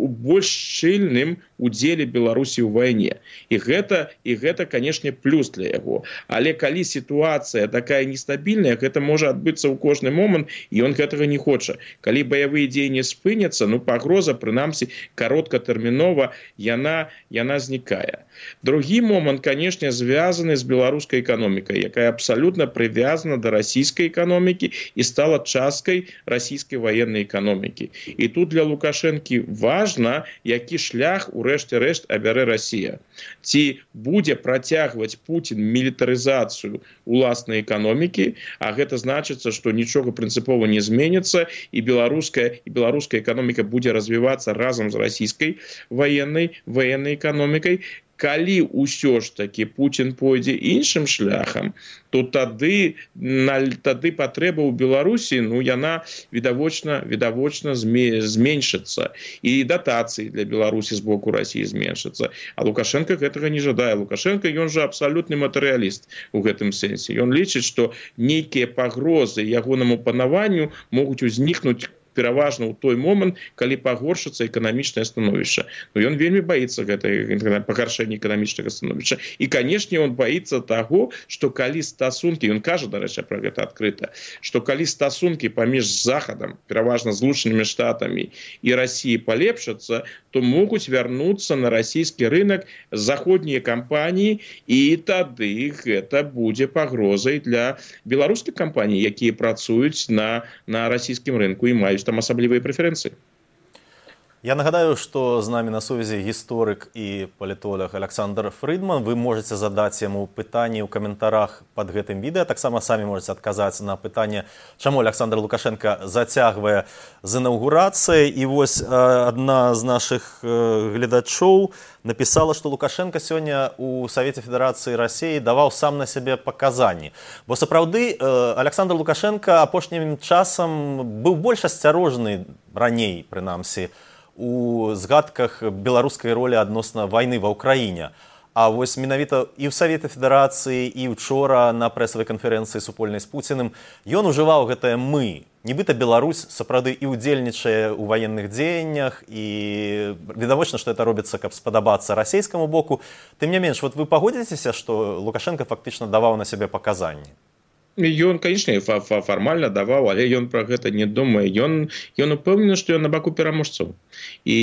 у больш шчыльным удзеле Беларусі ў вайне. І гэта, і гэта, канешне, плюс для яго. Але калі сітуацыя такая нестабільная, гэта можа адбыцца ў кожны момант, і ён гэтага не хоча. Калі баявыя дзеі не спыняцца, ну, пагроза, прынамсі, кароткатэрмінова, яна, яна знікае. Другі момант, канешне, звязаны з беларускай эканомікай, якая абсалютна прывязана да расійскай эканомікі і стала часткай расійскай ваеннай эканомікі. І тут для Лукашэнкі важна, які шлях у рэшце рэшт абярэ Расія. Ці будзе працягваць Пуцін мілітарызацыю уласнай эканомікі, а гэта значыцца, што нічога прынцыпова не зменіцца, і беларуская, і беларуская эканоміка будзе развівацца разам з расійскай ваеннай, ваеннай эканомікай. Калі ўсё ж такі Пуцін пойдзе іншым шляхам, то тады, тады патрэба ў Беларусі, ну, яна відавочна, відавочна зменшыцца. І датацыі для Беларусі з боку Расіі зменшыцца. А Лукашенко гэтага не жадае. Лукашенко, ён жа абсалютны матэрыяліст у гэтым сэнсе. Ён лічыць, што нейкія пагрозы ягонаму панаванню могуць узнікнуць пераважна ў той момант, калі пагоршыцца эканамічнае становішча. Но ён вельмі баіцца гэтай пагаршэння эканамічнага становішча. І, канешне, ён баіцца таго, што калі стасункі, ён кажа, дарэчы, пра гэта адкрыта, што калі стасункі паміж Захадам, пераважна Злучанымі Штатамі і Расіяй палепшацца, то могуць вярнуцца на расійскі рынок заходнія кампаніі, і тады гэта будзе пагрозай для беларускіх кампаній, якія працуюць на, на расійскім рынку і маюць там асаблівыя прэферэнцыі. Я нагадаю, што з намі на сувязі гісторык і палітолог Александр Фридман. Вы можаце задаць яму пытанні ў каментарах пад гэтым відэа. Таксама самі можаце адказаць на пытанне, чаму Александр Лукашенко зацягвае з інаўгурацыяй. І вось адна з нашых гледачоў написала, што Лукашенко сёння у Савеце Федэрацыі Расіі даваў сам на сябе паказанні. Бо сапраўды Александр Лукашенко апошнім часам быў больш асцярожны раней, прынамсі, у згадках беларускай ролі адносна вайны ва ўкраіне. А вось менавіта і ў Савеце Федэрацыі, і ўчора на прэсавай канферэнцыі супольнай з Пуціным ён ужываў гэтае «мы». Нібыта Беларусь сапраўды і ўдзельнічае ў ваенных дзеяннях, і відавочна, што это робіцца, каб спадабацца расійскаму боку. Тым не менш, вот вы пагодзіцеся, што Лукашенко фактычна даваў на сябе паказанні? Ён, канечне, фармальна даваў, але ён пра гэта не думае. Ён, ён упэўнены, што ён на баку пераможцаў. І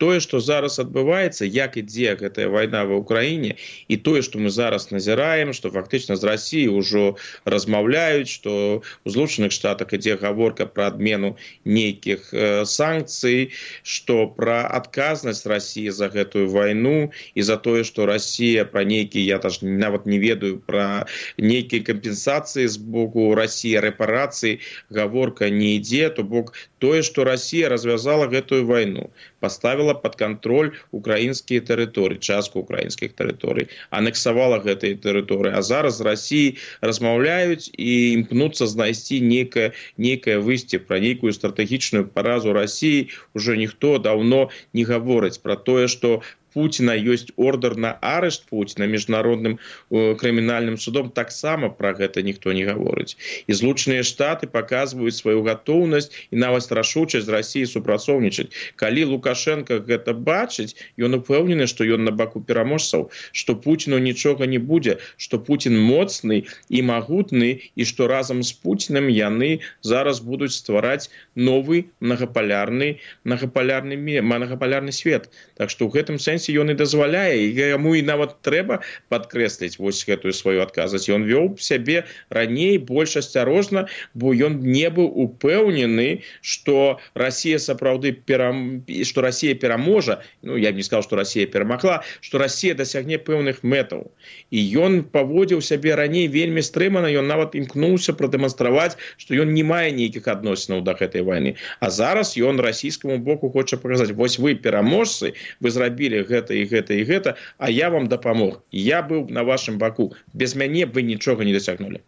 тое, што зараз адбываецца, як ідзе гэтая вайна ва ўкраіне, і тое, што мы зараз назіраем, што фактычна з Расіі ўжо размаўляюць, што ў Злучаных Штатах ідзе гаворка пра адмену нейкіх санкцый, што пра адказнасць Расіі за гэтую вайну і за тое, што Расія пра нейкія, я даже нават не ведаю, пра нейкія кампенсацыі з боку России, репарации, гаворка не ідзе, то бок тое, што Россия развязала гэтую вайну, поставила под контроль украінскія тэрыторыі, частку украінскіх тэрыторый, анексавала гэтыя тэрыторыі, а зараз з Россией размаўляюць і імкнуцца знайсці нейкае, нейкае выйсце, пра нейкую стратэгічную паразу России уже ніхто даўно не гаворыць пра тое, што Путина ёсць ордер на арышт Путина міжнародным э, крымінальным судом, таксама пра гэта ніхто не гаворыць. І Злучаныя Штаты паказваюць сваю гатоўнасць і нават рашучасць з Расіяй супрацоўнічаць. Калі Лукашенко гэта бачыць, ён упэўнены, што ён на баку пераможцаў, што Путіну нічога не будзе, што Путін моцны і магутны, і што разам з Путінам яны зараз будуць ствараць новы многапалярны, многапалярны, многапалярны свет. Так што ў гэтым сэнсе ён і дазваляе, і яму і нават трэба падкрэсліць вось гэтую сваю адказнасць. Ён вёў сябе раней больш асцярожна, бо ён не быў упэўнены, што Расія сапраўды перам... што Расія пераможа, ну я б не сказаў, што Расія перамагла, што Расія дасягне пэўных мэтаў. І ён паводзіў сябе раней вельмі стрымана, ён нават імкнуўся прадэманстраваць, што ён не мае нейкіх адносінаў да гэтай вайны. А зараз ён расійскаму боку хоча паказаць: вось вы пераможцы, вы зрабілі гэта і гэта і гэта, а я вам дапамог. Я быў на вашым баку. Без мяне вы нічога не дасягнулі.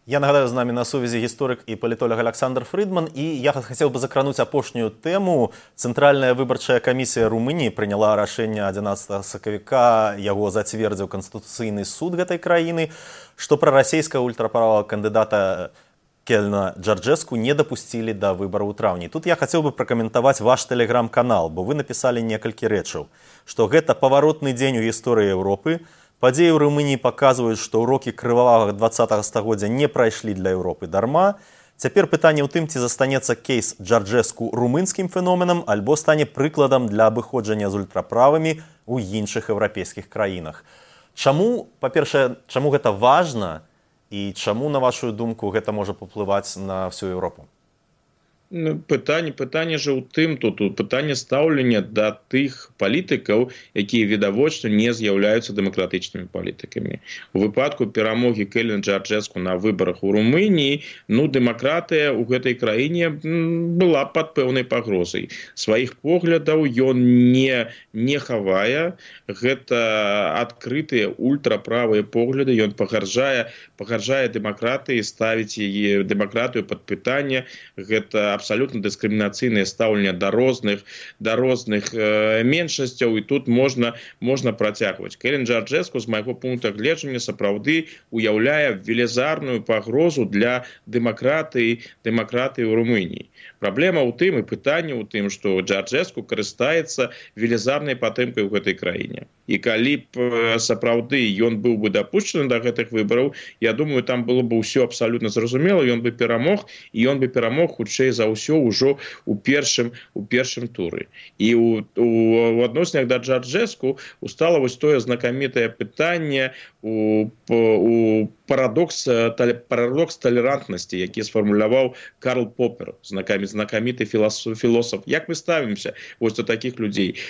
Я нагадаю, з нами на сувязі гісторык і палітолог Александр Фридман, і я хацеў бы закрануць апошнюю тэму. Цэнтральная выбарчая камісія Румыніі прыняла рашэнне адзінаццатага сакавіка, яго зацвердзіў Канстытуцыйны суд гэтай краіны, што прарасійскага ультраправага кандыдата Келена Джарджеску не дапусцілі да выбараў у траўні. Тут я хацеў бы пракаментаваць ваш тэлеграм-канал, бо вы напісалі некалькі рэчаў, што гэта паваротны дзень у гісторыі Еўропы. Падзеі ў Румыніі паказваюць, што ўрокі крывавага дваццатага стагоддзя не прайшлі для Еўропы дарма. Цяпер пытанне ў тым, ці застанецца кейс Джарджеску румынскім феноменам, альбо стане прыкладам для абыходжання з ультраправымі ў іншых еўрапейскіх краінах. Чаму, па-першае, чаму гэта важна? І чаму, на вашу думку, гэта можа паўплываць на всю Еўропу? Пытанне, пытанне же ў тым, тут пытанне стаўлення да тых палітыкаў, якія відавочна не з'яўляюцца дэмакратычнымі палітыкамі. У выпадку перамогі Келена Джарджеску на выбарах у Румыніі, ну, дэмакратыя ў гэтай краіне была пад пэўнай пагрозай. Сваіх поглядаў ён не, не хавае. Гэта адкрытыя ультраправыя погляды. Ён пагарджае, пагарджае дэмакратыі, ставіць яе дэмакратыю пад пытанне. Гэта абсолютно дыскрымінацыйнае стаўленне да розных, да розных э, меншасцяў, і тут можна, можна працягваць. Келен Джарджеску, з майго пункта гледжання, сапраўды уяўляе велізарную пагрозу для дэмакратыі, дэмакратыі ў Румыніі. Праблема ў тым, і пытанне ў тым, што Джарджеску карыстаецца велізарнай падтрымкай у гэтай краіне. І калі б сапраўды ён быў бы дапушчаны да гэтых выбараў, я думаю, там было бы ўсё абсалютна зразумела, ён бы перамог, і ён бы перамог хутчэй за ўсё ўжо у першым, у першым туры. І у, у, у адносінах да Джарджеску устала вось тое знакамітае пытанне, у, у парадокс, парадокс талерантнасці, які сфармуляваў Карл Поппер, знакаміты філосаф. Як мы ставімся вось до такіх людзей?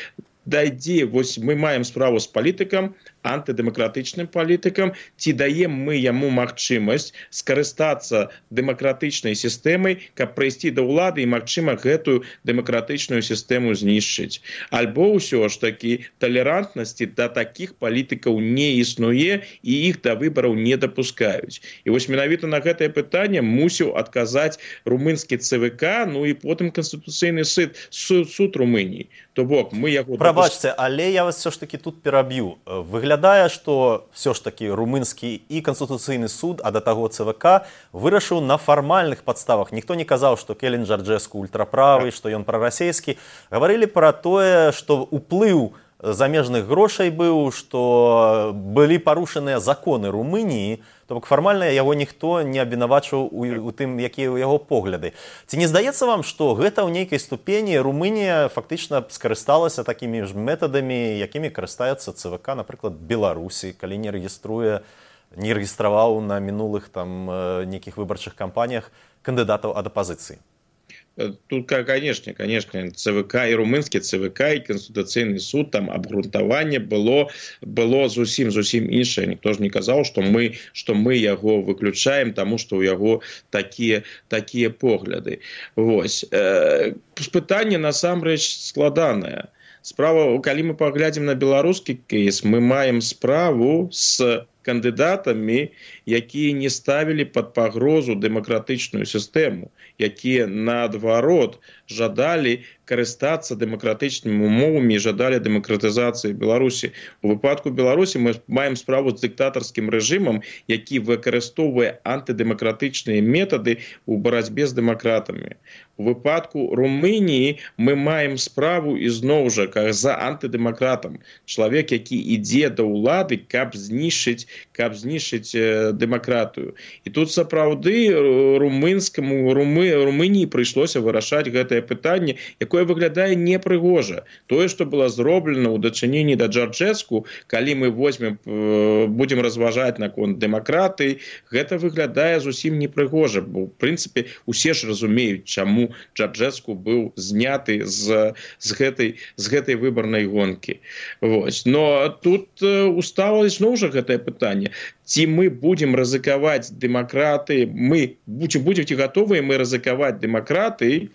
Дайдзе, вось мы маем справу з палітыкам, антыдэмакратычным палітыкам, ці даем мы яму магчымасць скарыстацца дэмакратычнай сістэмай, каб прыйсці да ўлады і, магчыма, гэтую дэмакратычную сістэму знішчыць. Альбо ўсё ж такі талерантнасці да такіх палітыкаў не існуе, і іх да выбараў не дапускаюць. І вось менавіта на гэтае пытанне мусіў адказаць румынскі ЦВК, ну і потым Канстытуцыйны суд, суд, суд Румыніі. То бок, мы яго... Прабачце, але я вас все ж таки тут пераб'ю. Выглядае, што все ж таки румынскі і Канстытуцыйны суд, а да таго ЦВК, вырашыў на фармальных падставах. Ніхто не казаў, што Келен Джарджеску ультраправы, што ён прарасійскі. Гаварылі пра тое, што ўплыў замежных грошай быў, што былі парушаныя законы Румыніі, то бок фармальна яго ніхто не абвінавачваў у, у тым, якія ў яго погляды. Ці не здаецца вам, што гэта ў нейкай ступені Румынія фактычна скарысталася такімі ж метадамі, якімі карыстаецца ЦВК, напрыклад, Беларусі, калі не рэгіструе, не рэгістраваў на мінулых там нейкіх выбарчых кампаніях кандыдатаў ад апазіцыі? Тут, конечно, конечно, ЦВК и румынский ЦВК и Конституционный суд, там обґрунтование было, было зусім, зусім іншае. Ніхто ж не казаў, што мы, што мы яго выключаем, тому што ў яго такія, такія погляды. Вось. Э, пытанне насамрэч складанае. Справа, калі мы паглядзім на беларускі кейс, мы маем справу з кандыдатамі, якія не ставілі пад пагрозу дэмакратычную сістэму, якія наадварот жадалі карыстацца дэмакратычнымі умовамі і жадалі дэмакратызацыі Беларусі. У выпадку Беларусі мы маем справу з дыктатарскім рэжымам, які выкарыстоўвае антыдэмакратычныя метады ў барацьбе з дэмакратамі. У выпадку Румыніі мы маем справу ізноў жа за антыдэмакратам. Чалавек, які ідзе да ўлады, каб знішчыць каб знішчыць дэмакратыю. І тут сапраўды румынскаму Румы, Румыніі прыйшлося вырашаць гэтае пытанне, якое выглядае непрыгожа. Тое, што было зроблена ў дачыненні да Джарджэску, калі мы возьмем, будзем разважаць наконт дэмакратыі, гэта выглядае зусім непрыгожа. Бо, ў прынцыпе, усе ж разумеюць, чаму Джарджэску быў зняты з, з, гэтай, з гэтай выбарнай гонкі. Вось. Но тут устала зноў жа гэтае пытанне. Ці мы будзем рызыкаваць дэмакраты, мы будзем, будзем ці гатовыя мы рызыкаваць дэмакраты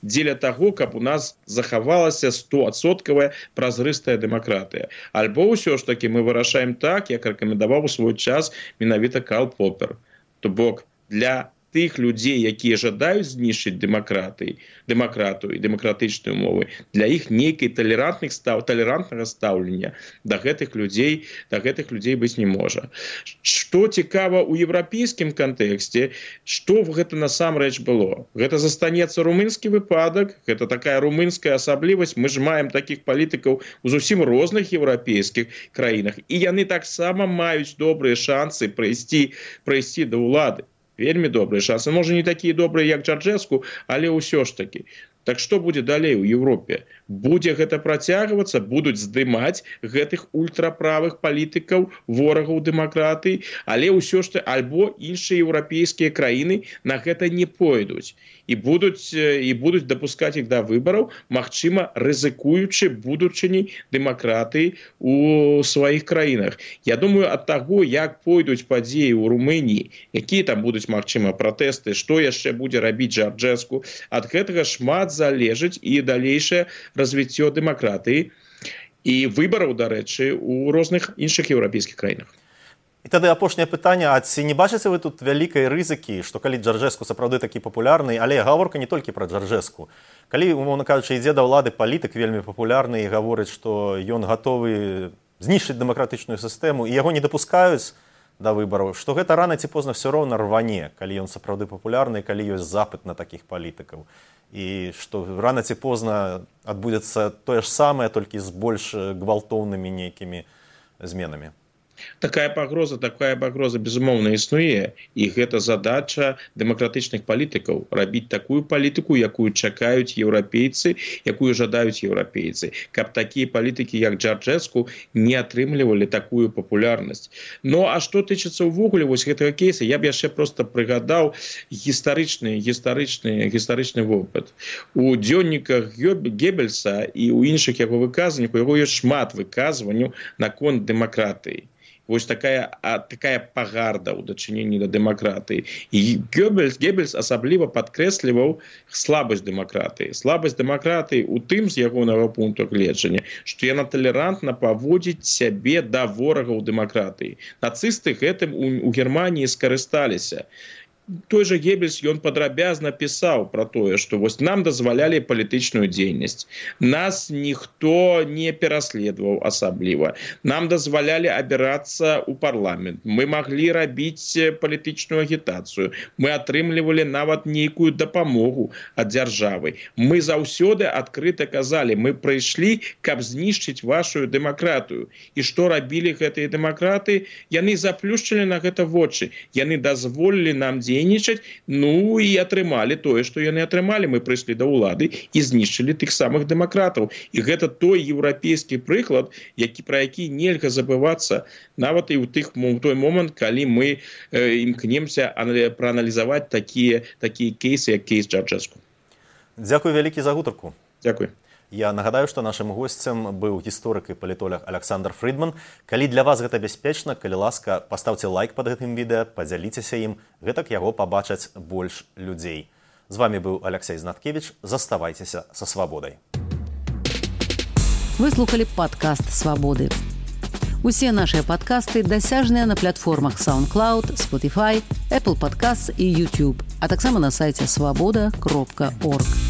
дзеля таго, каб у нас захавалася стоадсоткавая празрыстая дэмакратыя. Альбо ўсё ж такі мы вырашаем так, як рэкамендаваў у свой час менавіта Карл Поппер. То бок для тых людзей, якія жадаюць знішчыць дэмакратыі, дэмакратыю і дэмакратычныя умовы, для іх нейкай талерантных став, талерантнага стаўлення да гэтых людзей, да гэтых людзей быць не можа. Што цікава ў еўрапейскім кантэксце, што гэта насамрэч было? Гэта застанецца румынскі выпадак, гэта такая румынская асаблівасць. Мы ж маем такіх палітыкаў у зусім розных еўрапейскіх краінах, і яны таксама маюць добрыя шансы прыйсці, прыйсці да ўлады. Вельмі добрыя шансы. Можа, не такія добрыя, як Джарджэску, але ўсё ж такі. Так што будзе далей у Еўропе? Будзе гэта працягвацца, будуць здымаць гэтых ультраправых палітыкаў, ворагаў дэмакратыі, але ўсё ж альбо іншыя еўрапейскія краіны на гэта не пойдуць і будуць, і будуць дапускаць іх да выбараў, магчыма, рызыкуючы будучыняй дэмакратыі у сваіх краінах. Я думаю, ад таго, як пойдуць падзеі ў Румыніі, якія там будуць, магчыма, пратэсты, што яшчэ будзе рабіць Джарджэску, ад гэтага шмат залежыць і далейшае развіццё дэмакратыі і выбараў, дарэчы, у розных іншых еўрапейскіх краінах. І тады апошняе пытанне, а ці не бачыце вы тут вялікай рызыкі, што калі Джарджэску сапраўды такі папулярны, але гаворка не толькі пра Джарджэску. Калі, умоўна кажучы, ідзе да ўлады палітык вельмі папулярны і гаворыць, што ён гатовы знішчыць дэмакратычную сістэму і яго не дапускаюць да выбараў, што гэта рана ці позна ўсё роўна рване, калі ён сапраўды папулярны, калі ёсць запыт на такіх палітыкаў. І што рана ці позна адбудзецца тое ж самае, толькі з больш гвалтоўнымі нейкімі зменамі. Такая пагроза, такая пагроза, безумоўна, існуе. І гэта задача дэмакратычных палітыкаў – рабіць такую палітыку, якую чакаюць еўрапейцы, якую жадаюць еўрапейцы. Каб такія палітыкі, як Джарджэску, не атрымлівалі такую папулярнасць. Ну, а што тычыцца ўвогуле вось гэтага кейса, я б яшчэ проста прыгадаў гістарычны, гістарычны, гістарычны вопыт. У дзённіках Геббельса і ў іншых яго выказваннях, у яго ёсць шмат выказванняў наконт дэмакратыі. Вось такая, такая пагарда ў дачыненні да дэмакратыі. І Геббельс, Геббельс асабліва падкрэсліваў слабасць дэмакратыі. Слабасць дэмакратыі ў тым, з ягонага пункту гледжання, што яна талерантна паводзіць сябе да ворагаў дэмакратыі. Нацысты гэтым у, у Германіі скарысталіся. той же Геббельс, ён падрабязна пісаў про тое, што вось нам дазвалялі палітычную дзейнасць. Нас ніхто не пераследаваў асабліва. Нам дазвалялі абірацца ў парламент. Мы маглі рабіць палітычную агітацыю. Мы атрымлівалі нават нейкую дапамогу ад дзяржавы. Мы заўсёды адкрыта казалі, мы прыйшлі, каб знішчыць вашу дэмакратыю. І што рабілі гэтыя дэмакраты? Яны заплюшчылі на гэта вочы. Яны дазволілі нам дзейнічаць, ну і атрымалі тое, што яны атрымалі. Мы прыйшлі да ўлады і знішчылі тых самых дэмакратаў. І гэта той еўрапейскі прыклад, які, пра які нельга забывацца, нават і ў тых, у той момант, калі мы э, імкнемся прааналізаваць такія, такія кейсы, як кейс Джарджэску. Дзякуй вялікі за гутарку. Дзякуй. Я нагадаю, што нашым госцем быў гісторык і палітолог Александр Фридман. Калі для вас гэта бяспечна, калі ласка, паставце лайк пад гэтым відэа, падзяліцеся ім, гэтак яго пабачаць больш людзей. З вами быў Алексей Знаткевич. Заставайцеся са свабодай. Вы слухали падкаст «Свабоды». Усе нашыя падкасты дасяжныя на платформах SoundCloud, Spotify, Apple Podcasts і YouTube, а таксама на сайце свабода кропка орг.